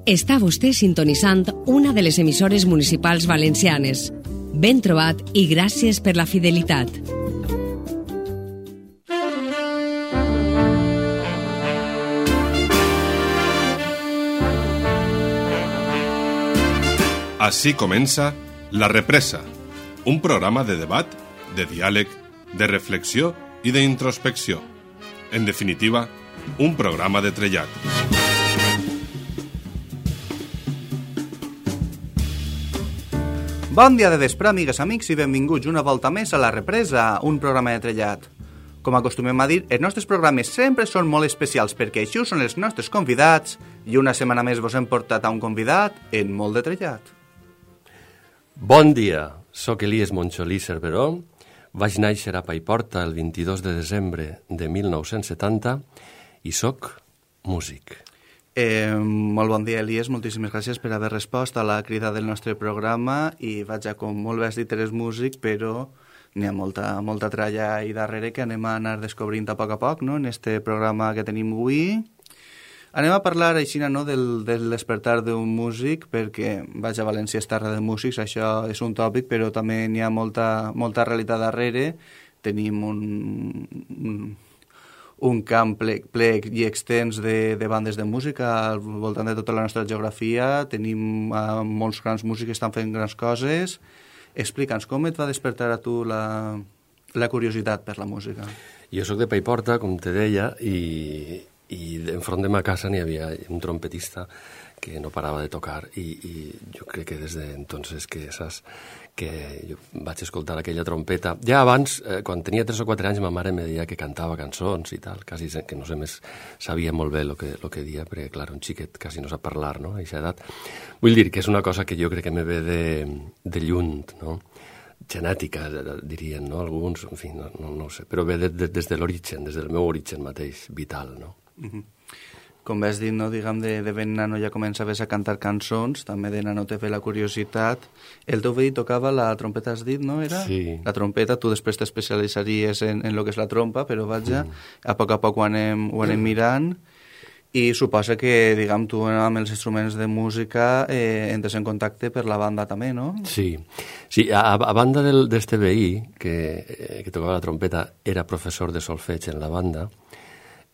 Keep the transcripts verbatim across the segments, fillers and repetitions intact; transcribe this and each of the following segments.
Està vostè sintonitzant una de les emissores municipals valencianes. Ben trobat i gràcies per la fidelitat. Així comença La Represa, un programa de debat, de diàleg, de reflexió i d'introspecció. En definitiva, un programa de trellat. Bon dia de vespre, amigues, amics, i benvinguts una volta més a La Represa, un programa de trellat. Com acostumem a dir, els nostres programes sempre són molt especials perquè així són els nostres convidats i una setmana més vos hem portat a un convidat en molt de trellat. Bon dia, sóc Elies Montxolí Cerveró, vaig néixer a Paiporta el vint-i-dos de desembre de mil nou-cents setanta i sóc músic. Eh, molt bon dia, Elies, moltíssimes gràcies per haver respost a la crida del nostre programa i vaja, com molt bé has dit, eres músic, però n'hi ha molta, molta tralla ahí darrere que anem a anar descobrint a poc a poc, no?, en este programa que tenim avui. Anem a parlar així, no?, del, del despertar d'un músic, perquè, vaja, València és terra de músics, això és un tòpic, però també n'hi ha molta, molta realitat darrere. Tenim un... un un camp ple, ple i extens de, de bandes de música al voltant de tota la nostra geografia. Tenim uh, molts grans músics que estan fent grans coses. Explica'ns, com et va despertar a tu la, la curiositat per la música? Jo sóc de Paiporta, com te deia, i, i enfront de ma casa n'hi havia un trompetista que no parava de tocar i, i jo crec que des d'entonces que saps que jo vaig escoltar aquella trompeta. Ja abans, eh, quan tenia tres o quatre anys, ma mare me deia que cantava cançons i tal, quasi que no sé més, sabia molt bé el que, lo que dia, perquè, clar, un xiquet quasi no sap parlar, no?, a aquesta edat. Vull dir que és una cosa que jo crec que me ve de, de lluny, no?, genètica, dirien, no?, alguns, en fi, no, no, no ho sé, però ve de, de, des de l'origen, des del meu origen mateix, vital, no? Mm-hmm. Com vas dir, no, diguem, de, de ben nano ja començaves a cantar cançons, també de nano te ve la curiositat. El teu veí tocava la trompeta, has dit, no, era? Sí. La trompeta, tu després t'especialitzaries en, en lo que és la trompa, però vaja, mm. a poc a poc ho anem, ho anem mirant, i suposa que, diguem, tu amb els instruments de música eh, entres en contacte per la banda també, no? Sí, sí, a, a banda d'este veí, que, que tocava la trompeta, era professor de solfeig en la banda.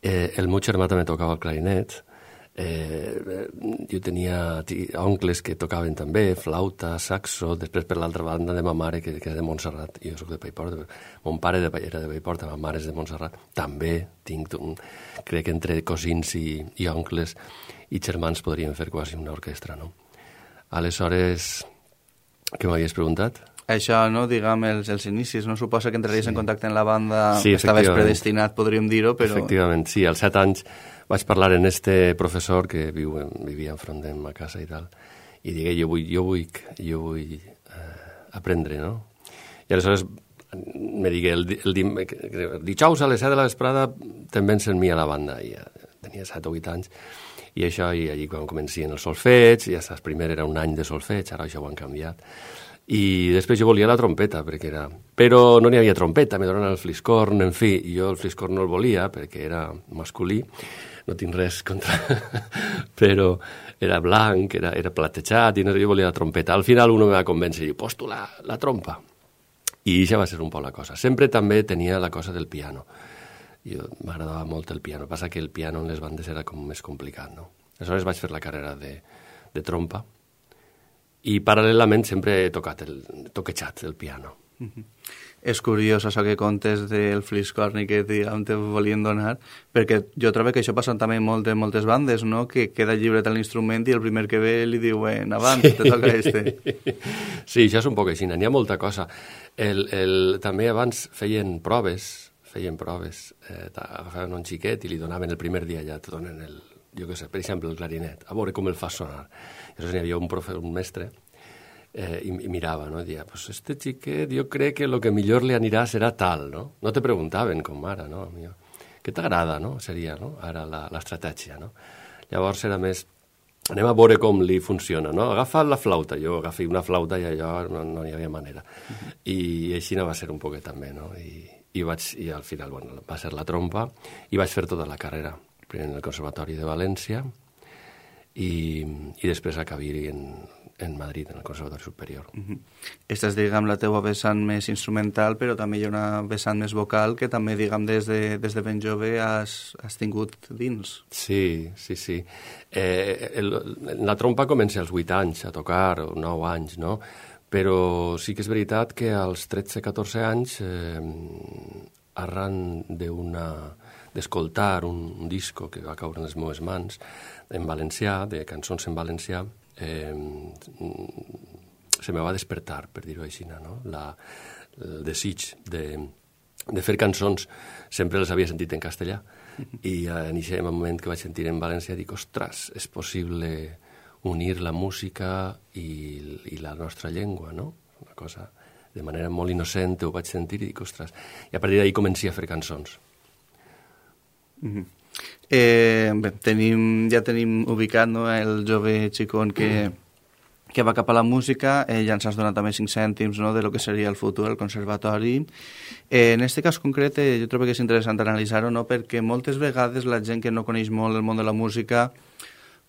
Eh, el meu germà també tocava el clarinet, eh, jo tenia oncles que tocaven també, flauta, saxo, després per l'altra banda de ma mare, que, que era de Montserrat, jo soc de Paiporta, mon pare de, era de Paiporta, ma mare és de Montserrat, també tinc, un, crec que entre cosins i, i oncles i germans podrien fer quasi una orquestra, no? Aleshores, què m'havies preguntat? Això, no, diguem, els, els inicis, no? Suposa que entraries sí. en contacte amb la banda, sí, estaves predestinat, podríem dir-ho, però... Efectivament, sí, als set anys vaig parlar en este professor que viu, vivia enfront de ma casa i tal, i digué, jo vull, jo vull, jo vull eh, aprendre, no? I aleshores me digué, el, el, el, el dijous a les set de la vesprada te'n vens en mi a la banda, i ja tenia set o vuit anys, i això, i allí quan comencien els solfeig, ja saps, primer era un any de solfeig, ara això ho han canviat, i després jo volia la trompeta, perquè era... Però no n'hi havia trompeta, me donen el fliscorn, en fi, i jo el fliscorn no el volia, perquè era masculí, no tinc res contra... però era blanc, era, era platejat, i no, jo volia la trompeta. Al final uno me va convèncer, i diu, pues tu la, la trompa. I això va ser un poc la cosa. Sempre també tenia la cosa del piano. Jo m'agradava molt el piano, passa que el piano en les bandes era com més complicat, no? Aleshores vaig fer la carrera de, de trompa, i paral·lelament sempre he tocat el, toquejat el piano. Mm-hmm. És curiós això que contes del fliscorn i que diguem, te volien donar, perquè jo trobo que això passa també molt en moltes bandes, no?, que queda lliure tal l'instrument i el primer que ve li diuen avant, sí. Te toca este. Sí, això és un poc així, n'hi ha molta cosa. El, el, també abans feien proves, feien proves, eh, agafaven un xiquet i li donaven el primer dia, ja te donen el, jo què sé, per exemple, el clarinet, a veure com el fa sonar. Llavors n'hi havia un, profe, un mestre eh, i, i mirava, no? I deia, pues este xiquet jo crec que el que millor li anirà serà tal, no? No te preguntaven com ara, no? Què t'agrada, no? Seria, no? Ara l'estratègia, no? Llavors era més, anem a veure com li funciona, no? Agafa la flauta, jo agafi una flauta i allò no, no hi havia manera. I així no va ser un poquet també, no? I, i, vaig, i al final, bueno, va ser la trompa i vaig fer tota la carrera, primer en el Conservatori de València, i, i després acabar-hi en, en Madrid, en el Conservatori Superior. Uh-huh. Esta és, diguem, la teua vessant més instrumental, però també hi ha una vessant més vocal que també, diguem, des de, des de ben jove has, has tingut dins. Sí, sí, sí. Eh, el, la trompa comença als vuit anys a tocar, o nou anys, no? Però sí que és veritat que als tretze catorze anys, eh, arran d'una d'escoltar un, un disco que va caure en les meves mans, en valencià, de cançons en valencià, eh, se me va despertar, per dir-ho així, no? La, el desig de, de fer cançons. Sempre les havia sentit en castellà, i en aquest moment que vaig sentir en valencià dic, ostres, és possible unir la música i, i la nostra llengua, no? Una cosa, de manera molt innocent, ho vaig sentir i dic, ostres, i a partir d'ahir començo a fer cançons. Mm-hmm. Eh, bé, tenim, ja tenim ubicat, no, el jove xicón que, que va cap a la música, eh, ja ens has donat també cinc cèntims, no, de lo que seria el futur, el conservatori. Eh, en aquest cas concret, eh, jo trobo que és interessant analitzar-ho, no, perquè moltes vegades la gent que no coneix molt el món de la música,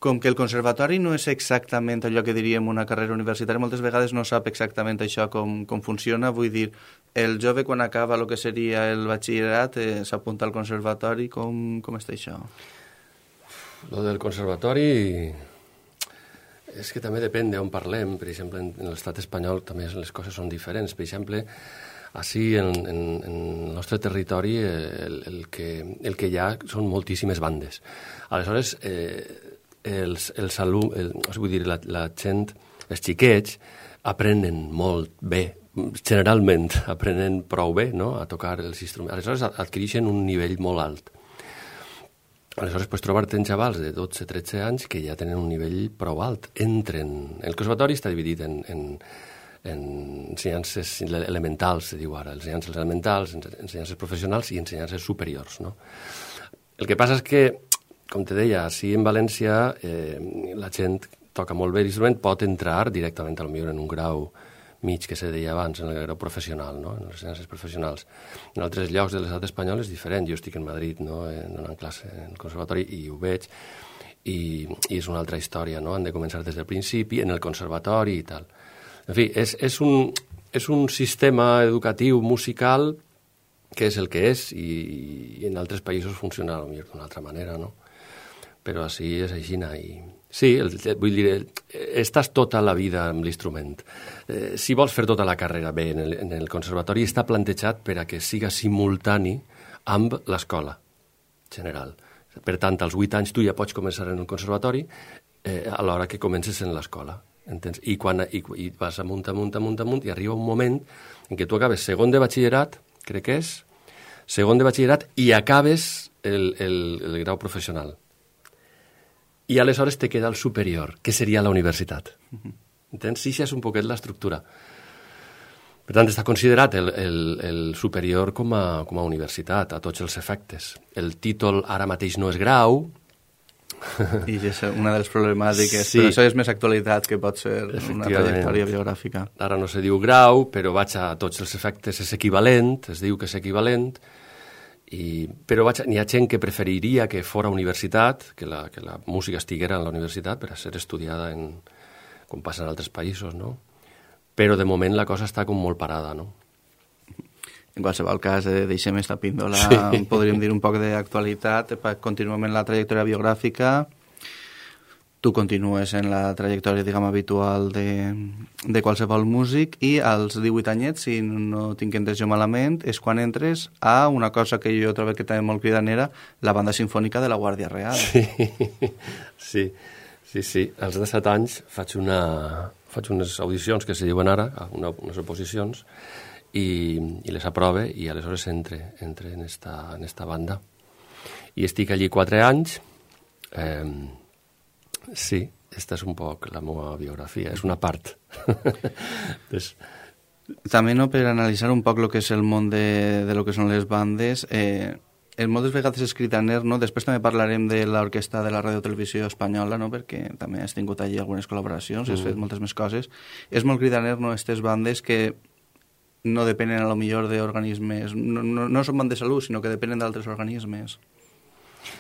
com que el conservatori no és exactament allò que diríem una carrera universitària, moltes vegades no sap exactament això com, com funciona. Vull dir, el jove quan acaba el que seria el batxillerat eh, s'apunta al conservatori. Com, com està això? Lo del conservatori és que també depèn d'on parlem. Per exemple, en l'estat espanyol també les coses són diferents. Per exemple, així en, en, en el nostre territori el, el, que, el que hi ha són moltíssimes bandes. Aleshores, eh, els, els alumnes, el, vull dir, la, la gent, els xiquets, aprenen molt bé, generalment aprenen prou bé, no?, a tocar els instruments. Aleshores adquireixen un nivell molt alt. Aleshores, pues, trobar-te en xavals de dotze tretze anys que ja tenen un nivell prou alt. Entren... El conservatori està dividit en, en, en ensenyances elementals, se diu ara, ensenyances elementals, ensenyances professionals i ensenyances superiors, no? El que passa és que, com te deia, si en València eh, la gent toca molt bé l'instrument, pot entrar directament, potser en un grau mig que se deia abans, en el grau professional, no?, en les ciències professionals. En altres llocs de l'estat espanyol és diferent. Jo estic en Madrid, no?, donant classe en el conservatori, i ho veig, i, i és una altra història, no?, han de començar des del principi, en el conservatori i tal. En fi, és, és, un, és un sistema educatiu musical que és el que és, i, i en altres països funciona potser d'una altra manera, no?, però així és així. I... Sí, el, vull dir, estàs tota la vida amb l'instrument. Eh, si vols fer tota la carrera bé en el, en el conservatori, està plantejat per a que siga simultani amb l'escola general. Per tant, als vuit anys tu ja pots començar en el conservatori eh, a l'hora que comences en l'escola. Entens? I, quan, i, i vas amunt, amunt, amunt, amunt, i arriba un moment en què tu acabes segon de batxillerat, crec que és, segon de batxillerat, i acabes el, el, el grau professional. I aleshores te queda el superior, que seria la universitat. Entens? Sí, això és un poquet l'estructura. Per tant, està considerat el, el, el superior com a, com a universitat, a tots els efectes. El títol ara mateix no és grau. I és una de les problemàtiques, sí. Però això és més actualitat que pot ser una trajectòria biogràfica. Ara no se diu grau, però vaig a tots els efectes és equivalent, es diu que és equivalent. I, però n'hi ha gent que preferiria que fora universitat, que la, que la música estiguera en la universitat per a ser estudiada en, com passa en altres països, no? Però de moment la cosa està com molt parada, no? En qualsevol cas, eh, deixem esta píndola, sí. Podríem dir un poc d'actualitat, continuem en la trajectòria biogràfica. Tu continues en la trajectòria, diguem, habitual de, de qualsevol músic, i als divuit anyets, si no tinc entès jo malament, és quan entres a una cosa que jo trobo que també molt cridanera, la banda sinfònica de la Guàrdia Real. Sí, sí, sí, sí. Als disset anys faig, una, faig unes audicions que se diuen ara, una, unes oposicions, i, i les aprove, i aleshores entre, entre en, esta, en esta banda. I estic allí quatre anys. Eh, Sí, aquesta és un poc la meva biografia, és una part. Des... També, no, per analitzar un poc el que és el món de, de lo que són les bandes, eh, moltes vegades és cridaner, no? Després també parlarem de l'orquestra de la Radiotelevisió Espanyola, no? Perquè també has tingut allí algunes col·laboracions, mm. has fet moltes més coses. És molt cridaner, no?, aquestes bandes que no depenen a lo millor d'organismes, no, no, no són bandes de salut, sinó que depenen d'altres organismes.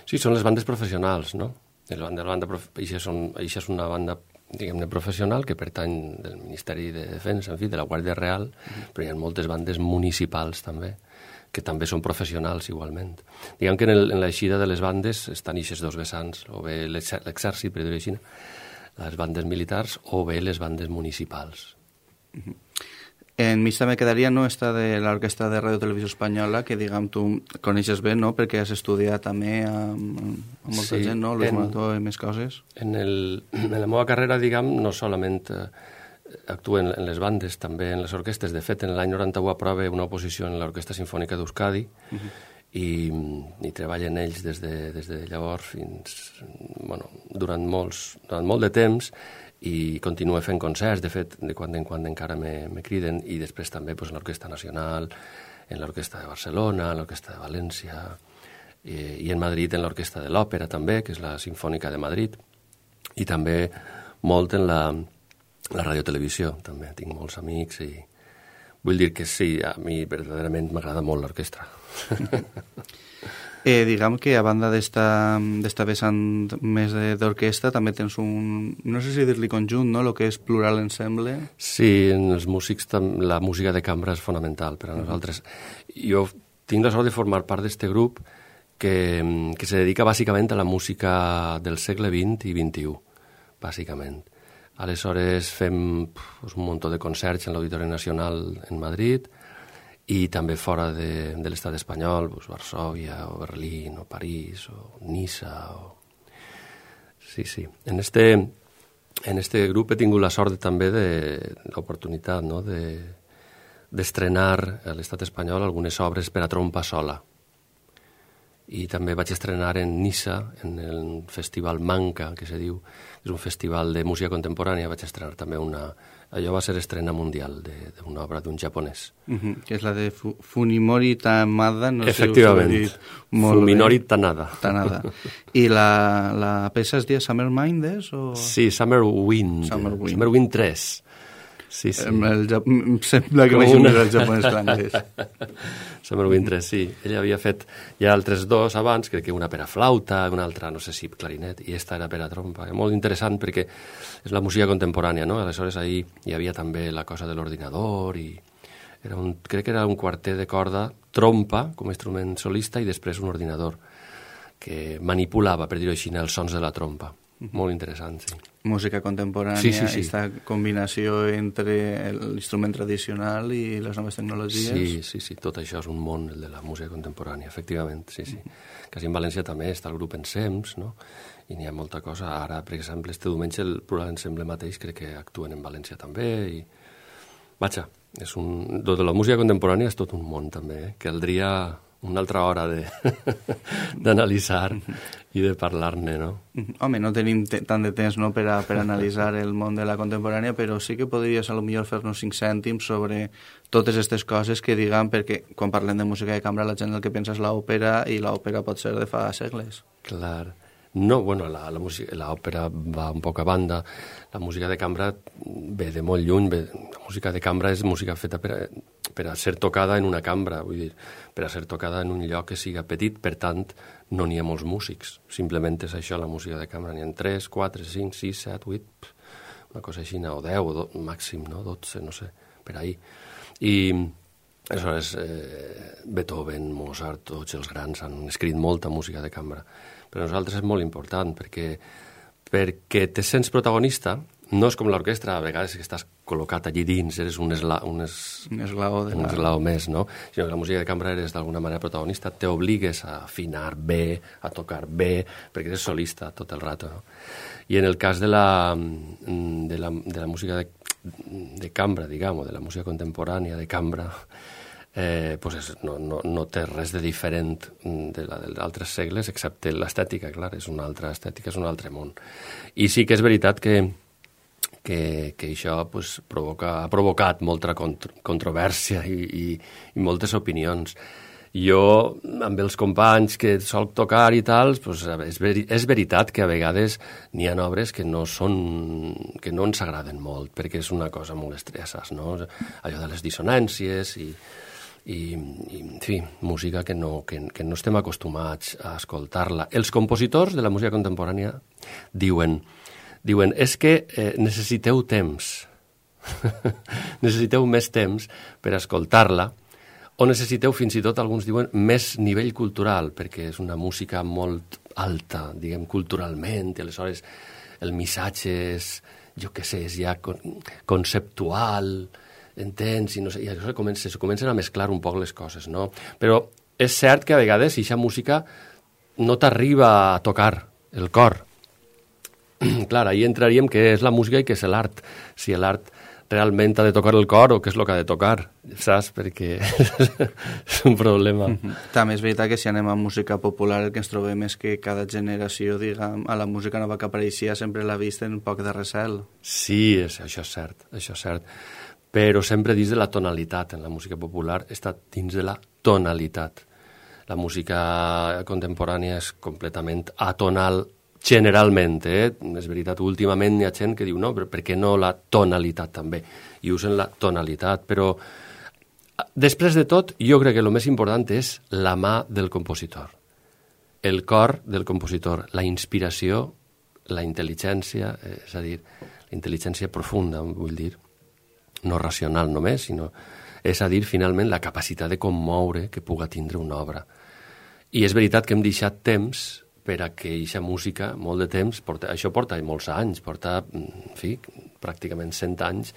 Sí, són les bandes professionals, no? La banda, la banda, això, són, això és una banda, diguem-ne, professional que pertany del Ministeri de Defensa, en fi, de la Guàrdia Real, mm. però hi ha moltes bandes municipals també, que també són professionals igualment. Diguem que en, el, en l'eixida de les bandes estan eixes dos vessants, o bé l'exèrcit, per dir-ho així, les bandes militars, o bé les bandes municipals. Mm-hmm. En mi també quedaria no esta de l'Orquestra de Ràdio Televisió Espanyola, que diguem tu coneixes bé, no?, perquè has estudiat també amb, amb molta sí, gent, no?, Luis Morató i més coses. En, el, en la meva carrera, diguem, no solament eh, actuo en, en les bandes, també en les orquestres. De fet, en l'any noranta-u aprove una oposició en l'Orquestra Simfònica d'Euskadi, uh-huh. i, i treballen ells des de, des de llavors fins, bueno, durant, molts, durant molt de temps, i continuo fent concerts, de fet, de quan en quan encara me, me criden, i després també pues, en l'Orquestra Nacional, en l'Orquestra de Barcelona, en l'Orquestra de València, i, i en Madrid en l'Orquestra de l'Òpera també, que és la Simfònica de Madrid, i també molt en la, la radiotelevisió, també tinc molts amics, i vull dir que sí, a mi verdaderament m'agrada molt l'orquestra. Eh, diguem que a banda d'esta vessant més d'orquestra també tens un, no sé si dir-li conjunt, no?, el que és plural ensemble. Sí, en els músics la música de cambra és fonamental per a nosaltres. Jo tinc la sort de formar part d'aquest grup que, que se dedica bàsicament a la música del segle vint i vint-i-u, bàsicament. Aleshores fem pues, un munt de concerts en l'Auditori Nacional en Madrid, i també fora de, de l'estat espanyol, pues, Varsòvia, o Berlín, o París, o Niça, o... Sí, sí. En este, en este grup he tingut la sort també de l'oportunitat, no?, de, d'estrenar a l'estat espanyol algunes obres per a trompa sola. I també vaig estrenar en Niça, en el festival Manca, que se diu, és un festival de música contemporània, vaig estrenar també una... Allò va ser estrena mundial d'una obra d'un japonès. Uh-huh, que és la de Fu Fuminori Tamada. No Efectivament, sé si Fuminori Tanada. Tanada. I la, la peça es diu Summer Minds? O... Sí, Summer Wind. Summer Wind. Summer Wind tres. Sí, sí. El, el, sembla que m'he una... el japonès l'anglès. Summer Wind tres, sí. Ella havia fet ja altres dos abans, crec que una per a flauta, una altra, no sé si clarinet, i esta era per a trompa. Molt interessant perquè és la música contemporània, no? Aleshores ahí hi havia també la cosa de l'ordinador i era un, crec que era un quartet de corda, trompa com a instrument solista i després un ordinador que manipulava, per dir-ho així, els sons de la trompa. Molt interessant, sí. Música contemporània, sí, sí, sí. Aquesta combinació entre l'instrument tradicional i les noves tecnologies. Sí, sí, sí, tot això és un món, el de la música contemporània, efectivament, sí, sí. Mm-hmm. Quasi en València també està el grup Ensems, no?, i n'hi ha molta cosa. Ara, per exemple, este diumenge el Plural Ensemble mateix crec que actuen en València també, i... Vaja, és un... Tot de la música contemporània és tot un món també, eh? Caldria una altra hora d'analitzar i de parlar-ne, no? Home, no tenim tant de temps, no?, per a, per a analitzar el món de la contemporània, però sí que podries a lo millor fer-nos cinc cèntims sobre totes aquestes coses que diguem, perquè quan parlem de música de cambra la gent el que pensa és l'òpera, i l'òpera pot ser de fa segles. Clar. No, bueno, la, la música, l'òpera va un poc a banda, la música de cambra ve de molt lluny, ve, la música de cambra és música feta per a, per a ser tocada en una cambra, vull dir, per a ser tocada en un lloc que siga petit, per tant, no n'hi ha molts músics, simplement és això la música de cambra, n'hi ha tres, quatre, cinc, sis, set, vuit, una cosa així, o deu, o do, màxim, no?, dotze, no sé, per ahí. I, aleshores, eh, Beethoven, Mozart, tots els grans han escrit molta música de cambra. Per a nosaltres és molt important, perquè, perquè te sents protagonista, no és com l'orquestra, a vegades que estàs col·locat allí dins, eres un, esla, un, es, un, esglaó, de un esglaó més, no? Sinó que la música de cambra eres d'alguna manera protagonista, t'obligues a afinar bé, a tocar bé, perquè eres solista tot el rato, no? I en el cas de la, de la, de la música de, de cambra, diguem, o de la música contemporània de cambra, Eh, pues és, no, no, no té res de diferent de la d'altres segles, excepte l'estètica, clar, és una altra estètica, és un altre món. I sí que és veritat que, que, que això pues, provoca, ha provocat molta contro, controvèrsia i, i, i moltes opinions. Jo, amb els companys que solc tocar i tal, pues, és, veri, és veritat que a vegades n'hi ha obres que no són, que no ens agraden molt, perquè és una cosa molt estressa, no? Allò de les dissonàncies i... I, i en fi, música que no, que, que no estem acostumats a escoltar-la. Els compositors de la música contemporània diuen, diuen és que eh, necessiteu temps, necessiteu més temps per escoltar-la, o necessiteu fins i tot, alguns diuen, més nivell cultural, perquè és una música molt alta, diguem, culturalment, i aleshores el missatge és, jo què sé, és ja conceptual, entens, i, no sé, i això comença, se comencen a mesclar un poc les coses, no? Però és cert que a vegades aquesta música no t'arriba a tocar el cor. Clar, ahí entraríem què és la música i què és l'art. Si l'art realment ha de tocar el cor o què és el que ha de tocar, saps? Perquè és un problema. Mm-hmm. També és veritat que si anem a música popular el que ens trobem és que cada generació, diguem, a la música nova que apareixia sempre l'ha vist en un poc de recel. Sí, és, això és cert, això és cert. Però sempre dins de la tonalitat. En la música popular està dins de la tonalitat. La música contemporània és completament atonal, generalment, eh? És veritat, últimament hi ha gent que diu no, però per què no la tonalitat també? I usen la tonalitat, però després de tot, jo crec que el més important és la mà del compositor, el cor del compositor, la inspiració, la intel·ligència, és a dir, la intel·ligència profunda, vull dir, no racional només, sinó, és a dir, finalment, la capacitat de commoure que puga tindre una obra. I és veritat que hem deixat temps per a que aquesta música, molt de temps, porta, això porta molts anys, porta, en fi, pràcticament cent anys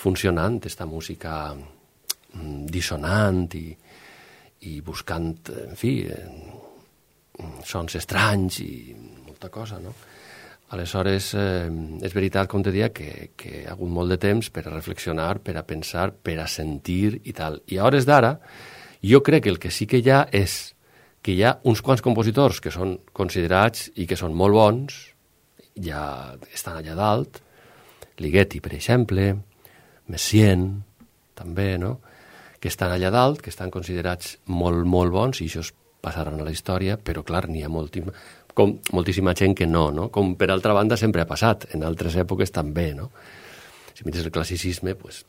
funcionant, aquesta música dissonant i, i buscant, en fi, sons estranys i molta cosa, no? Aleshores, eh, és veritat, com te deia, que, que ha hagut molt de temps per a reflexionar, per a pensar, per a sentir i tal. I a hores d'ara, jo crec que el que sí que hi ha és que hi ha uns quants compositors que són considerats i que són molt bons, ja estan allà dalt, Ligeti, per exemple, Messiaen, també, no?, que estan allà dalt, que estan considerats molt, molt bons, i això passaran a la història, però, clar, n'hi ha moltíssima, com, moltíssima gent que no, no? Com, per altra banda, sempre ha passat, en altres èpoques també, no? Si mires el classicisme, pues,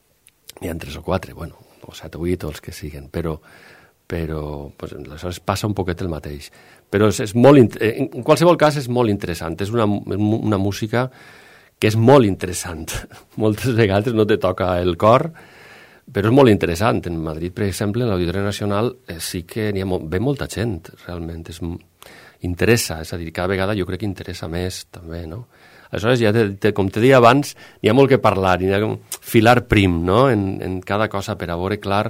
n'hi ha tres o quatre, bueno, o set o vuit, o els que siguen, però però pues, aleshores passa un poquet el mateix. Però és, és molt, en qualsevol cas és molt interessant, és una, una música que és molt interessant. Moltes vegades no te toca el cor, però és molt interessant. En Madrid, per exemple, en l'Auditori Nacional, eh, sí que n'hi ha mo- ve molta gent, realment. És, interessa, és a dir, cada vegada jo crec que interessa més, també, no? Aleshores, ja te, te, com te deia abans, n'hi ha molt que parlar, n'hi ha filar prim, no?, en, en cada cosa per a veure clar.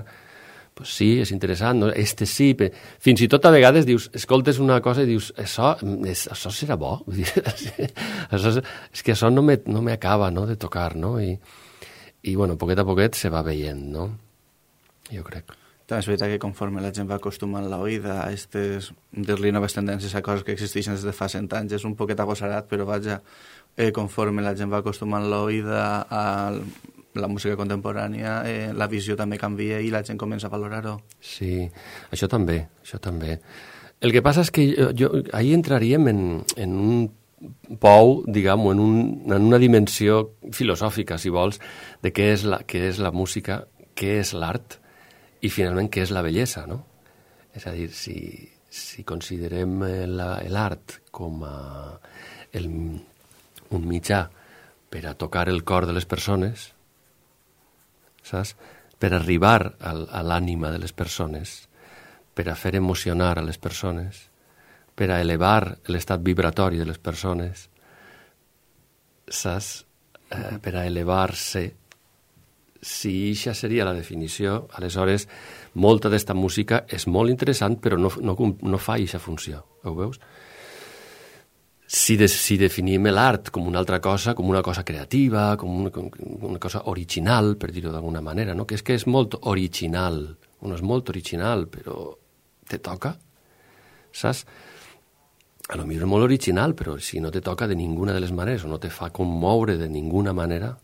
Pues sí, és interessant, no? Este sí, pe... fins i tot a vegades dius, escoltes una cosa i dius, això, és, això serà bo, això és, és que això no me, no me acaba, no?, de tocar, no?, i, i bueno, poquet a poquet se va veient, no?, jo crec. També és veritat que conforme la gent va acostumant l'oïda a aquestes, dir-li noves tendències a coses que existeixen des de fa cent anys, és un poquet agosarat, però vaja, eh, conforme la gent va acostumant l'oïda a la música contemporània, eh, la visió també canvia i la gent comença a valorar-ho. Sí, això també, això també. El que passa és que jo, jo, ahí entraríem en, en un pou, diguem, en, un, en una dimensió filosòfica, si vols, de què és la, què és la música, què és l'art i finalment què és la bellesa, no? És a dir, si, si considerem l'art com a el, un mitjà per a tocar el cor de les persones, saps? Per arribar al, a l'ànima de les persones, per a fer emocionar a les persones, per a elevar l'estat vibratori de les persones, saps? Eh, per a elevar-se. Si això seria la definició, aleshores molta d'esta música és molt interessant, però no, no, no fa aquesta funció, ho veus? Si, de, si definim l'art com una altra cosa, com una cosa creativa, com una, com una cosa original, per dir-ho d'alguna manera, no? Que és que és molt original, no és molt original, però te toca, saps? A lo millor és molt original, però si no te toca de ninguna de les maneres, o no te fa commoure de ninguna manera,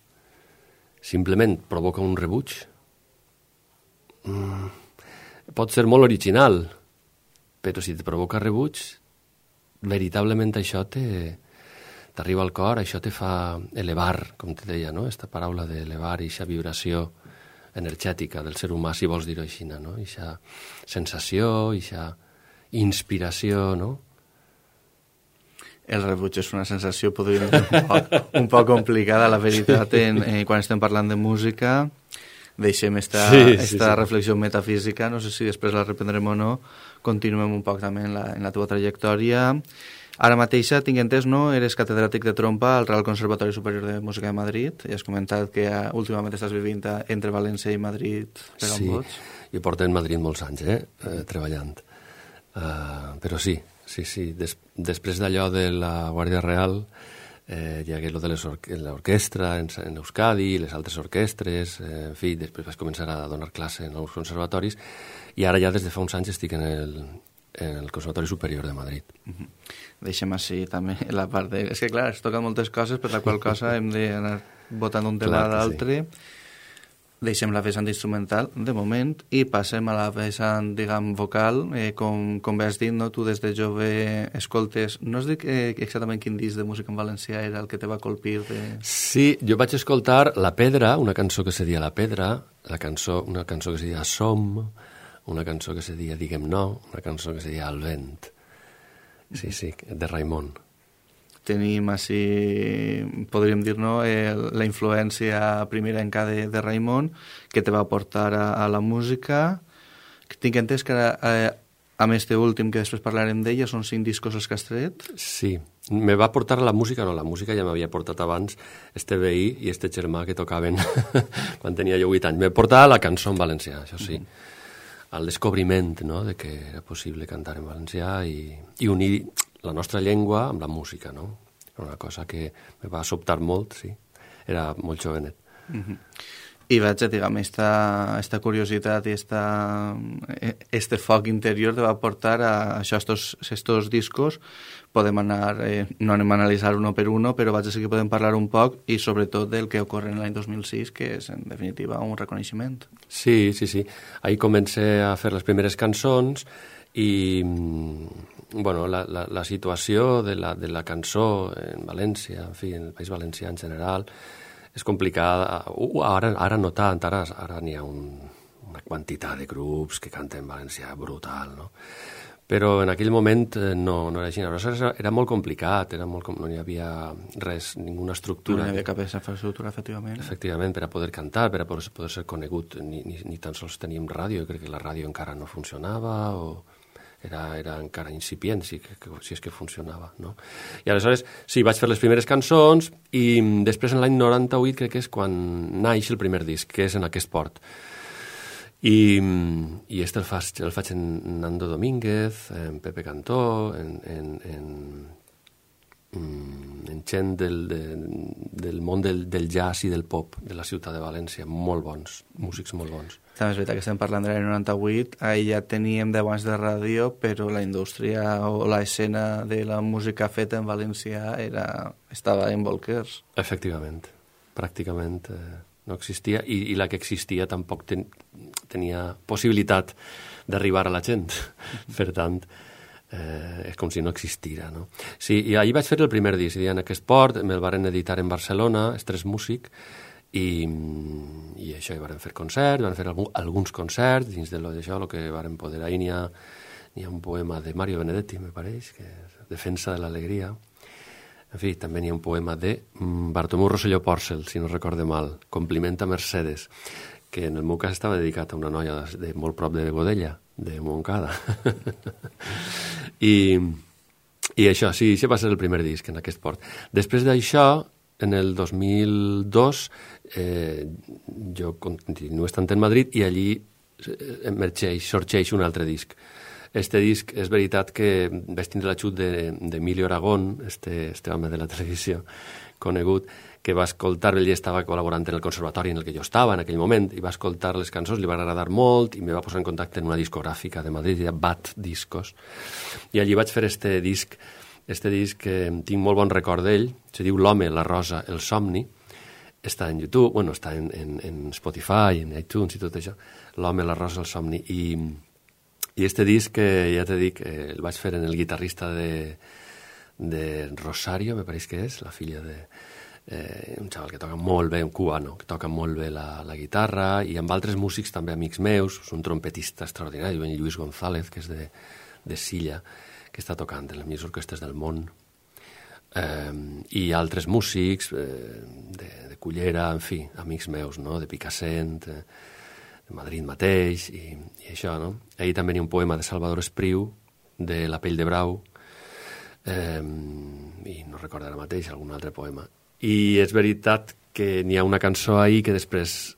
simplement provoca un rebuig, mm, pot ser molt original, però si te provoca rebuig, veritablement això t'arriba al cor, això te fa elevar, com te deia, no? Esta paraula d'elevar, aquesta vibració energètica del ser humà, si vols dir-ho així, no? Aquesta sensació, aquesta inspiració, no? El rebuig és una sensació, podríem dir, un poc, un poc complicada, la veritat, en, en, quan estem parlant de música. Deixem esta, sí, sí, esta sí. reflexió metafísica, no sé si després la reprendrem o no, continuem un poc també en la, en la teva trajectòria. Ara mateixa, tinc entès, no? Eres catedràtic de trompa al Real Conservatori Superior de Música de Madrid, i has comentat que uh, últimament estàs vivint entre València i Madrid per on sí, vots. Jo porto en Madrid molts anys, eh, eh treballant. Uh, però sí, sí, sí. Des, després d'allò de la Guàrdia Real, eh, hi hagué lo de l'orquestra en, en Euskadi, les altres orquestres, eh, en fi, després vaig començar a donar classe en els conservatoris, i ara ja des de fa uns anys estic en el, en el Conservatori Superior de Madrid. Uh-huh. Deixem així també la part de... És que clar, es toquen moltes coses, per la qual cosa hem d'anar votant un tema a l'altre. Sí. Deixem la vessant instrumental, de moment, i passem a la vessant, diguem, vocal. Eh, com, com bé has dit, no? Tu des de jove escoltes... No es dic eh, exactament quin disc de música en valencià era el que te va colpir de... Sí, jo vaig escoltar La Pedra, una cançó que se deia La Pedra, la cançó, una cançó que se deia Som, una cançó que se deia Diguem No, una cançó que se deia El Vent. Sí, sí, de Raimon. Tenim així, podríem dir, no, eh, la influència primerenca de, de Raimon, que te va portar a, a la música. Tinc entès que, eh, a més de últim, que després parlarem d'ella, són cinc discos els que has tret. Sí, me va portar a la música, no, la música ja m'havia portat abans este veí i este germà que tocaven quan tenia jo vuit anys. Me portava a la cançó en valencià, això sí. Mm-hmm. Al descobriment, no?, de que era possible cantar en valencià i, i unir la nostra llengua amb la música, no? Era una cosa que me va sobtar molt, sí. Era molt jovenet. Mm-hmm. I vaig, diguem, esta, esta curiositat i esta, este foc interior te va portar a això, estos, estos discos. Podem anar, eh, no anem a analitzar uno per uno, però vaig a dir que podem parlar un poc i sobretot del que ocorre en l'any dos mil sis, que és, en definitiva, un reconeixement. Sí, sí, sí. Ahí comencé a fer les primeres cançons i, bueno, la, la, la situació de la, de la cançó en València, en fi, en el País Valencià en general, és complicada. Uh, ara, ara no tant, ara, ara n'hi ha un, una quantitat de grups que canten en valencià brutal, no? Però en aquell moment no, no era així. Era, era molt complicat, era molt, no hi havia res, ninguna estructura. No hi havia cap infraestructura, efectivament. Efectivament, per a poder cantar, per a poder, poder ser conegut, ni, ni, ni tan sols teníem ràdio, jo crec que la ràdio encara no funcionava, o era, era encara incipient, si, que, que, si és que funcionava, no? I aleshores, sí, vaig fer les primeres cançons, i després en l'any noranta-vuit crec que és quan naix el primer disc, que és en aquest port. I, i este el faig, el faig en Nando Domínguez, en Pepe Cantó, en, en, en, en gent del, de, del món del, del jazz i del pop de la ciutat de València, molt bons, músics molt bons. També és veritat que estem parlant de l'any noranta-vuit, ahir ja teníem deu anys de ràdio, però la indústria o l'escena de la música feta en València era, estava en bolquers. Efectivament, pràcticament eh, no existia, i, i la que existia tampoc ten, tenia possibilitat d'arribar a la gent. Per tant, eh, és com si no existira, no? Sí, i ahir vaig fer el primer disc, en aquest port, me'l varen editar en Barcelona, Estrès Músic, i, i això, hi varen fer concerts, van fer algun, alguns concerts, dins de lo d'això, el que varen poder. Ahir n'hi ha, n'hi ha un poema de Mario Benedetti, me pareix, que és Defensa de l'Alegria. En fi, també n'hi ha un poema de Bartomeu Rosselló Pòrcel, si no recorde mal, Complimenta Mercedes, que en el meu cas estava dedicat a una noia de, de molt prop de Godella, de Montcada. I, I això, sí, això va ser el primer disc en aquest port. Després d'això, en el dos mil dos, eh, jo continuo estant en Madrid i allí emergeix, sorgeix un altre disc. Este disc, és veritat que vaig tindre l'ajut d'Emilio Aragón, este, este home de la televisió conegut, que va escoltar, ell estava col·laborant en el conservatori en el que jo estava en aquell moment, i va escoltar les cançons, li va agradar molt, i me va posar en contacte en una discogràfica de Madrid, ja Bat Discos, i allí vaig fer este disc, este disc que tinc molt bon record d'ell, se diu L'home, la rosa, el somni, està en YouTube, bueno, està en, en, en Spotify, en iTunes i tot això, L'home, la rosa, el somni, i... I este disc, que ja t'he dit, eh, el vaig fer en el guitarrista de, de Rosario, me pareix que és, la filla de... Eh, un xaval que toca molt bé, un cubano, que toca molt bé la, la guitarra, i amb altres músics també amics meus, un trompetista extraordinari, en Lluís González, que és de, de Silla, que està tocant en les millors orquestres del món. eh, i altres músics eh, de, de Cullera, en fi, amics meus, no?, de Picassent, eh, de Madrid mateix, i, i això, no? Ahir també hi ha un poema de Salvador Espriu, de La pell de brau, eh, i no recordo ara mateix algun altre poema. I és veritat que n'hi ha una cançó ahir que després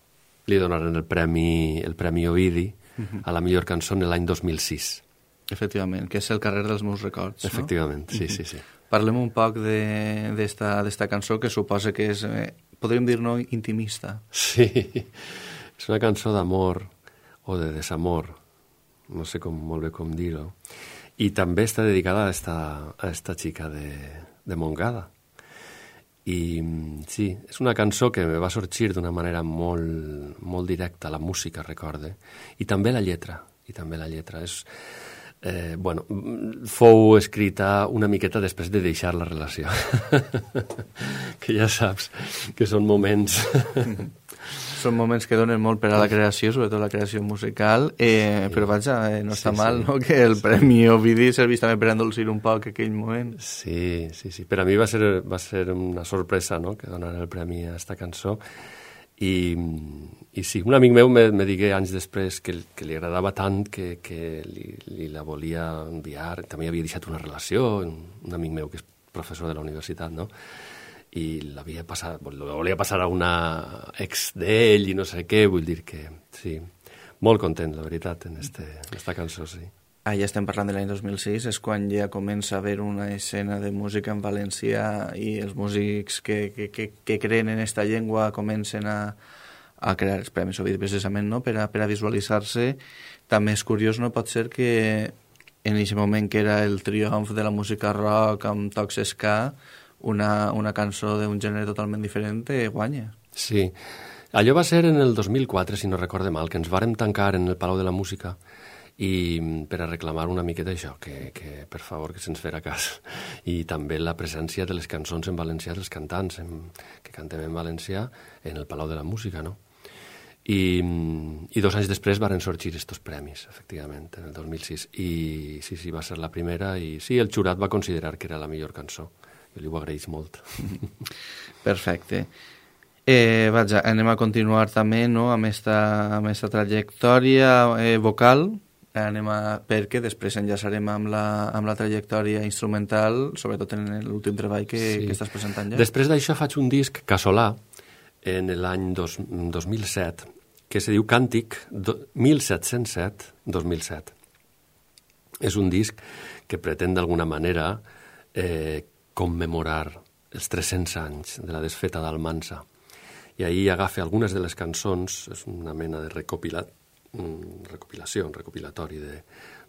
li donaren el premi, el premi Ovidi uh-huh. a la millor cançó en l'any dos mil sis. Efectivament, que és El carrer dels meus records, Efectivament, no? sí, sí, sí. Parlem un poc d'esta cançó que suposa que és, eh, podríem dir-no, intimista. Sí, és una cançó d'amor o de desamor, no sé com, molt bé com dir-ho, i també està dedicada a esta, a esta xica de, de Montgada. I sí, és una cançó que me va sorgir d'una manera molt, molt directa, la música, recorde, i també la lletra, i també la lletra. És, eh, bueno, fou escrita una miqueta després de deixar la relació, que ja saps que són moments... Són moments que donen molt per a la creació, sobretot la creació musical, eh, sí. Però vaja, eh, no està sí, mal, sí. No?, que el Premi Ovidi servís també per endolcir un poc aquell moment. Sí, sí, sí. Per a mi va ser, va ser una sorpresa, no?, que donaren el premi a esta cançó. I, i sí, un amic meu me, me digué anys després que, que li agradava tant que, que li, li la volia enviar. També havia deixat una relació, un, un amic meu que és professor de la universitat, no?, i l'havia passat, lo volia passar a una ex d'ell i no sé què, vull dir que sí, molt content, la veritat, en, este, en esta cançó, sí. Ah, ja estem parlant de l'any dos mil sis, és quan ja comença a haver una escena de música en valencià i els músics que, que, que, que creen en esta llengua comencen a, a crear els Premis Ovidi, precisament, no?, per a, per a visualitzar-se. També és curiós, no pot ser que en aquest moment que era el triomf de la música rock amb tocs ska, Una, una cançó d'un gènere totalment diferent guanya. Sí, allò va ser en el dos mil quatre, si no recorde mal, que ens vàrem tancar en el Palau de la Música i per a reclamar una miqueta això, que, que per favor que se'ns fera cas. I també la presència de les cançons en valencià dels cantants en, que cantem en valencià en el Palau de la Música, no? I, i dos anys després varen sorgir estos premis, efectivament, en el dos mil sis. I sí, sí, va ser la primera i sí, el jurat va considerar que era la millor cançó. Jo li ho agraeix molt. Perfecte. Eh, vaja, anem a continuar també, no?, amb esta, amb esta trajectòria eh, vocal, anem a, perquè després enllaçarem amb la, amb la trajectòria instrumental, sobretot en l'últim treball que, sí. que estàs presentant ja. Després d'això faig un disc casolà en l'any dos mil set, que se diu Càntic mil set-cents set dos mil set. És un disc que pretén d'alguna manera eh, commemorar els tres-cents anys de la desfeta d'Almansa. I ahir agafa algunes de les cançons, és una mena de recopila, recopilació, un recopilatori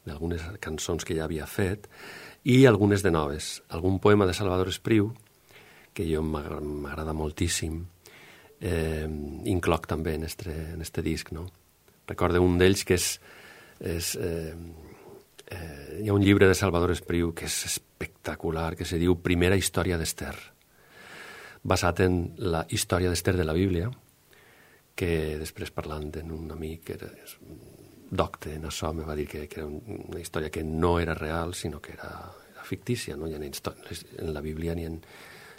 d'algunes cançons que ja havia fet, i algunes de noves. Algun poema de Salvador Espriu, que jo m'agrada moltíssim, eh, incloc també en este, en este disc, no? Recordo un d'ells que és... és eh, Eh, hi ha un llibre de Salvador Espriu que és espectacular, que se diu Primera història d'Ester, basat en la història d'Ester de la Bíblia, que després parlant amb un amic que era docte en això, me va dir que, que era una història que no era real, sinó que era, era fictícia, no? Hi ha en la Bíblia n'hi ha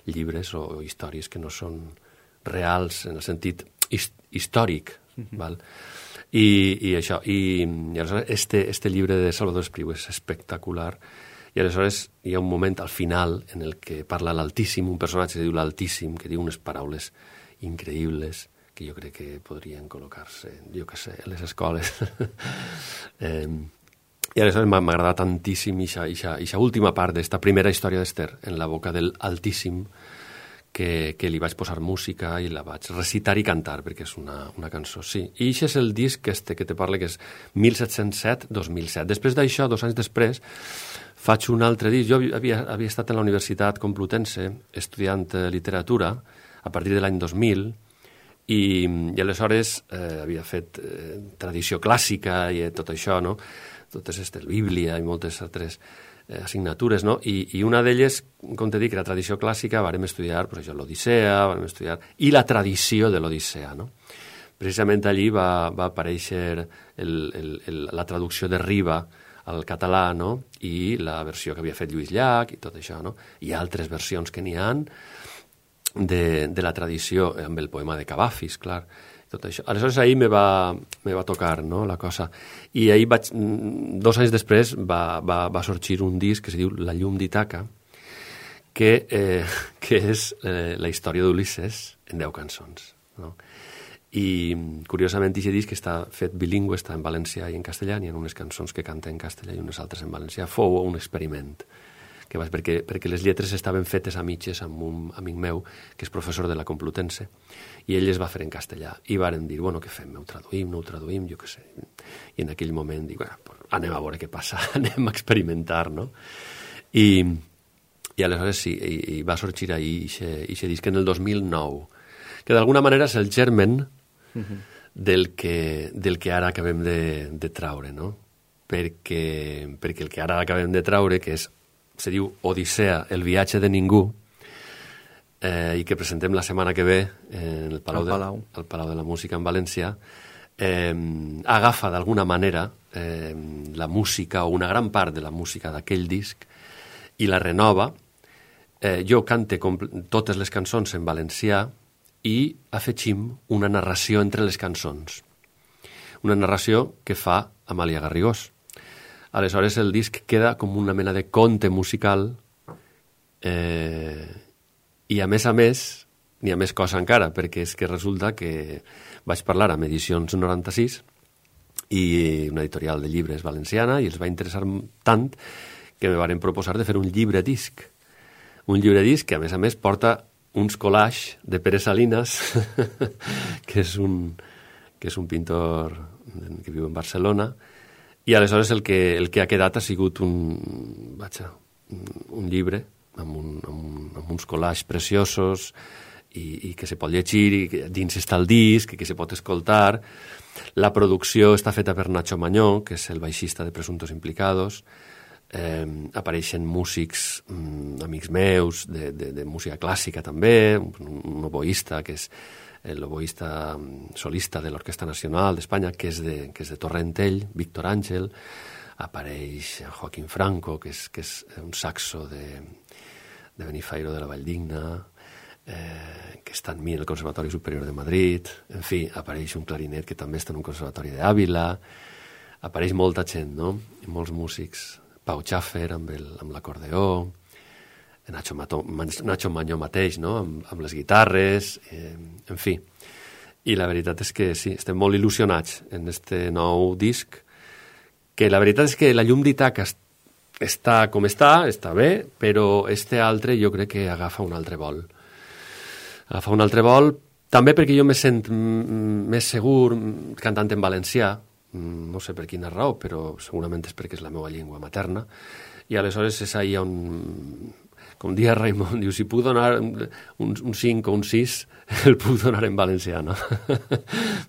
llibres o, o històries que no són reals en el sentit hist històric, mm-hmm. val? I, i això, i, i aleshores este, este llibre de Salvador Espriu és espectacular, i aleshores hi ha un moment al final en el que parla l'Altíssim, un personatge que diu l'Altíssim, que diu unes paraules increïbles que jo crec que podrien col·locar-se, jo què sé, a les escoles. eh, I aleshores m'ha agradat tantíssim aquesta última part d'esta primera història d'Ester, en la boca del Altíssim, que, que li vaig posar música i la vaig recitar i cantar, perquè és una, una cançó, sí. I això és el disc este que te parla, que és mil set-cents set dos mil set. Després d'això, dos anys després, faig un altre disc. Jo havia, havia estat en la Universitat Complutense estudiant eh, literatura a partir de l'any dos mil, i, i aleshores eh, havia fet eh, tradició clàssica i eh, tot això, no? Totes aquestes, Bíblia i moltes altres assignatures, no? I, i una d'elles, com te dic, la tradició clàssica, vàrem estudiar, pues això, l'Odissea, vàrem estudiar, i la tradició de l'Odissea, no? Precisament allí va, va aparèixer el, el, el, la traducció de Riba al català, no? I la versió que havia fet Lluís Llach i tot això, no? Hi ha altres versions que n'hi ha de, de la tradició, amb el poema de Cavafis, clar, tot això. Aleshores, ahir me va, me va tocar, no?, la cosa. I ahir, vaig, dos anys després, va, va, va sorgir un disc que es diu La llum d'Itaca, que, eh, que és eh, la història d'Ulisses en deu cançons, no? I, curiosament, aquest disc està fet bilingüe, està en valencià i en castellà, hi ha unes cançons que canta en castellà i unes altres en valencià. Fou un experiment, que vaig, perquè, perquè les lletres estaven fetes a mitges amb un amic meu, que és professor de la Complutense, i ell les va fer en castellà. I varen dir, bueno, què fem? Ho traduïm, no ho traduïm, jo què sé. I en aquell moment dic, bueno, pues, anem a veure què passa, anem a experimentar, no? I, i aleshores sí, i, i va sorgir ahir aquest disc en el dos mil nou, que d'alguna manera és el germen uh-huh. del, que, del que ara acabem de, de traure, no? Perquè, perquè el que ara acabem de traure, que és, se diu Odissea, el viatge de ningú, eh, i que presentem la setmana que ve en el Palau, de, Palau. el Palau de la Música en València, eh, agafa d'alguna manera eh, la música, o una gran part de la música d'aquell disc, i la renova. Eh, jo cante totes les cançons en valencià i afegim una narració entre les cançons. Una narració que fa Amàlia Garrigós. Aleshores el disc queda com una mena de conte musical eh, i a més a més n'hi ha més cosa encara, perquè és que resulta que vaig parlar amb Edicions noranta-sis i una editorial de llibres valenciana i els va interessar tant que me varen proposar de fer un llibre disc. Un llibre disc que a més a més porta uns collages de Pere Salinas, que és un, que és un pintor que viu en Barcelona. I aleshores el que, el que ha quedat ha sigut un, vaja, un llibre amb, un, amb, un, amb uns collages preciosos i, i que se pot llegir, i que dins està el disc, i que se pot escoltar. La producció està feta per Nacho Mañó, que és el baixista de Presuntos Implicados. Eh, apareixen músics, mm, amics meus, de, de, de música clàssica també, un, un oboista que és l'oboista solista de l'Orquestra Nacional d'Espanya, que és de, que és de Torrentell, Víctor Àngel. Apareix Joaquín Franco, que és, que és un saxo de, de Benifairo de la Valldigna, eh, que està en mi en el Conservatori Superior de Madrid. En fi, apareix un clarinet que també està en un conservatori d'Àvila. Apareix molta gent, no? I molts músics. Pau Schaffer amb, el, amb l'acordeó, Nacho, Mato, Nacho Mañó mateix, no? amb, amb les guitarres, eh, en fi. I la veritat és que sí, estem molt il·lusionats en este nou disc, que la veritat és que la llum d'Itaca està com està, està bé, però este altre jo crec que agafa un altre vol. Agafa un altre vol, també perquè jo me sent més segur cantant en valencià, no sé per quina raó, però segurament és perquè és la meva llengua materna, i aleshores és ahí on, com dia Raimon, diu, si puc donar un, un cinc o un sis, el puc donar en valencià, no?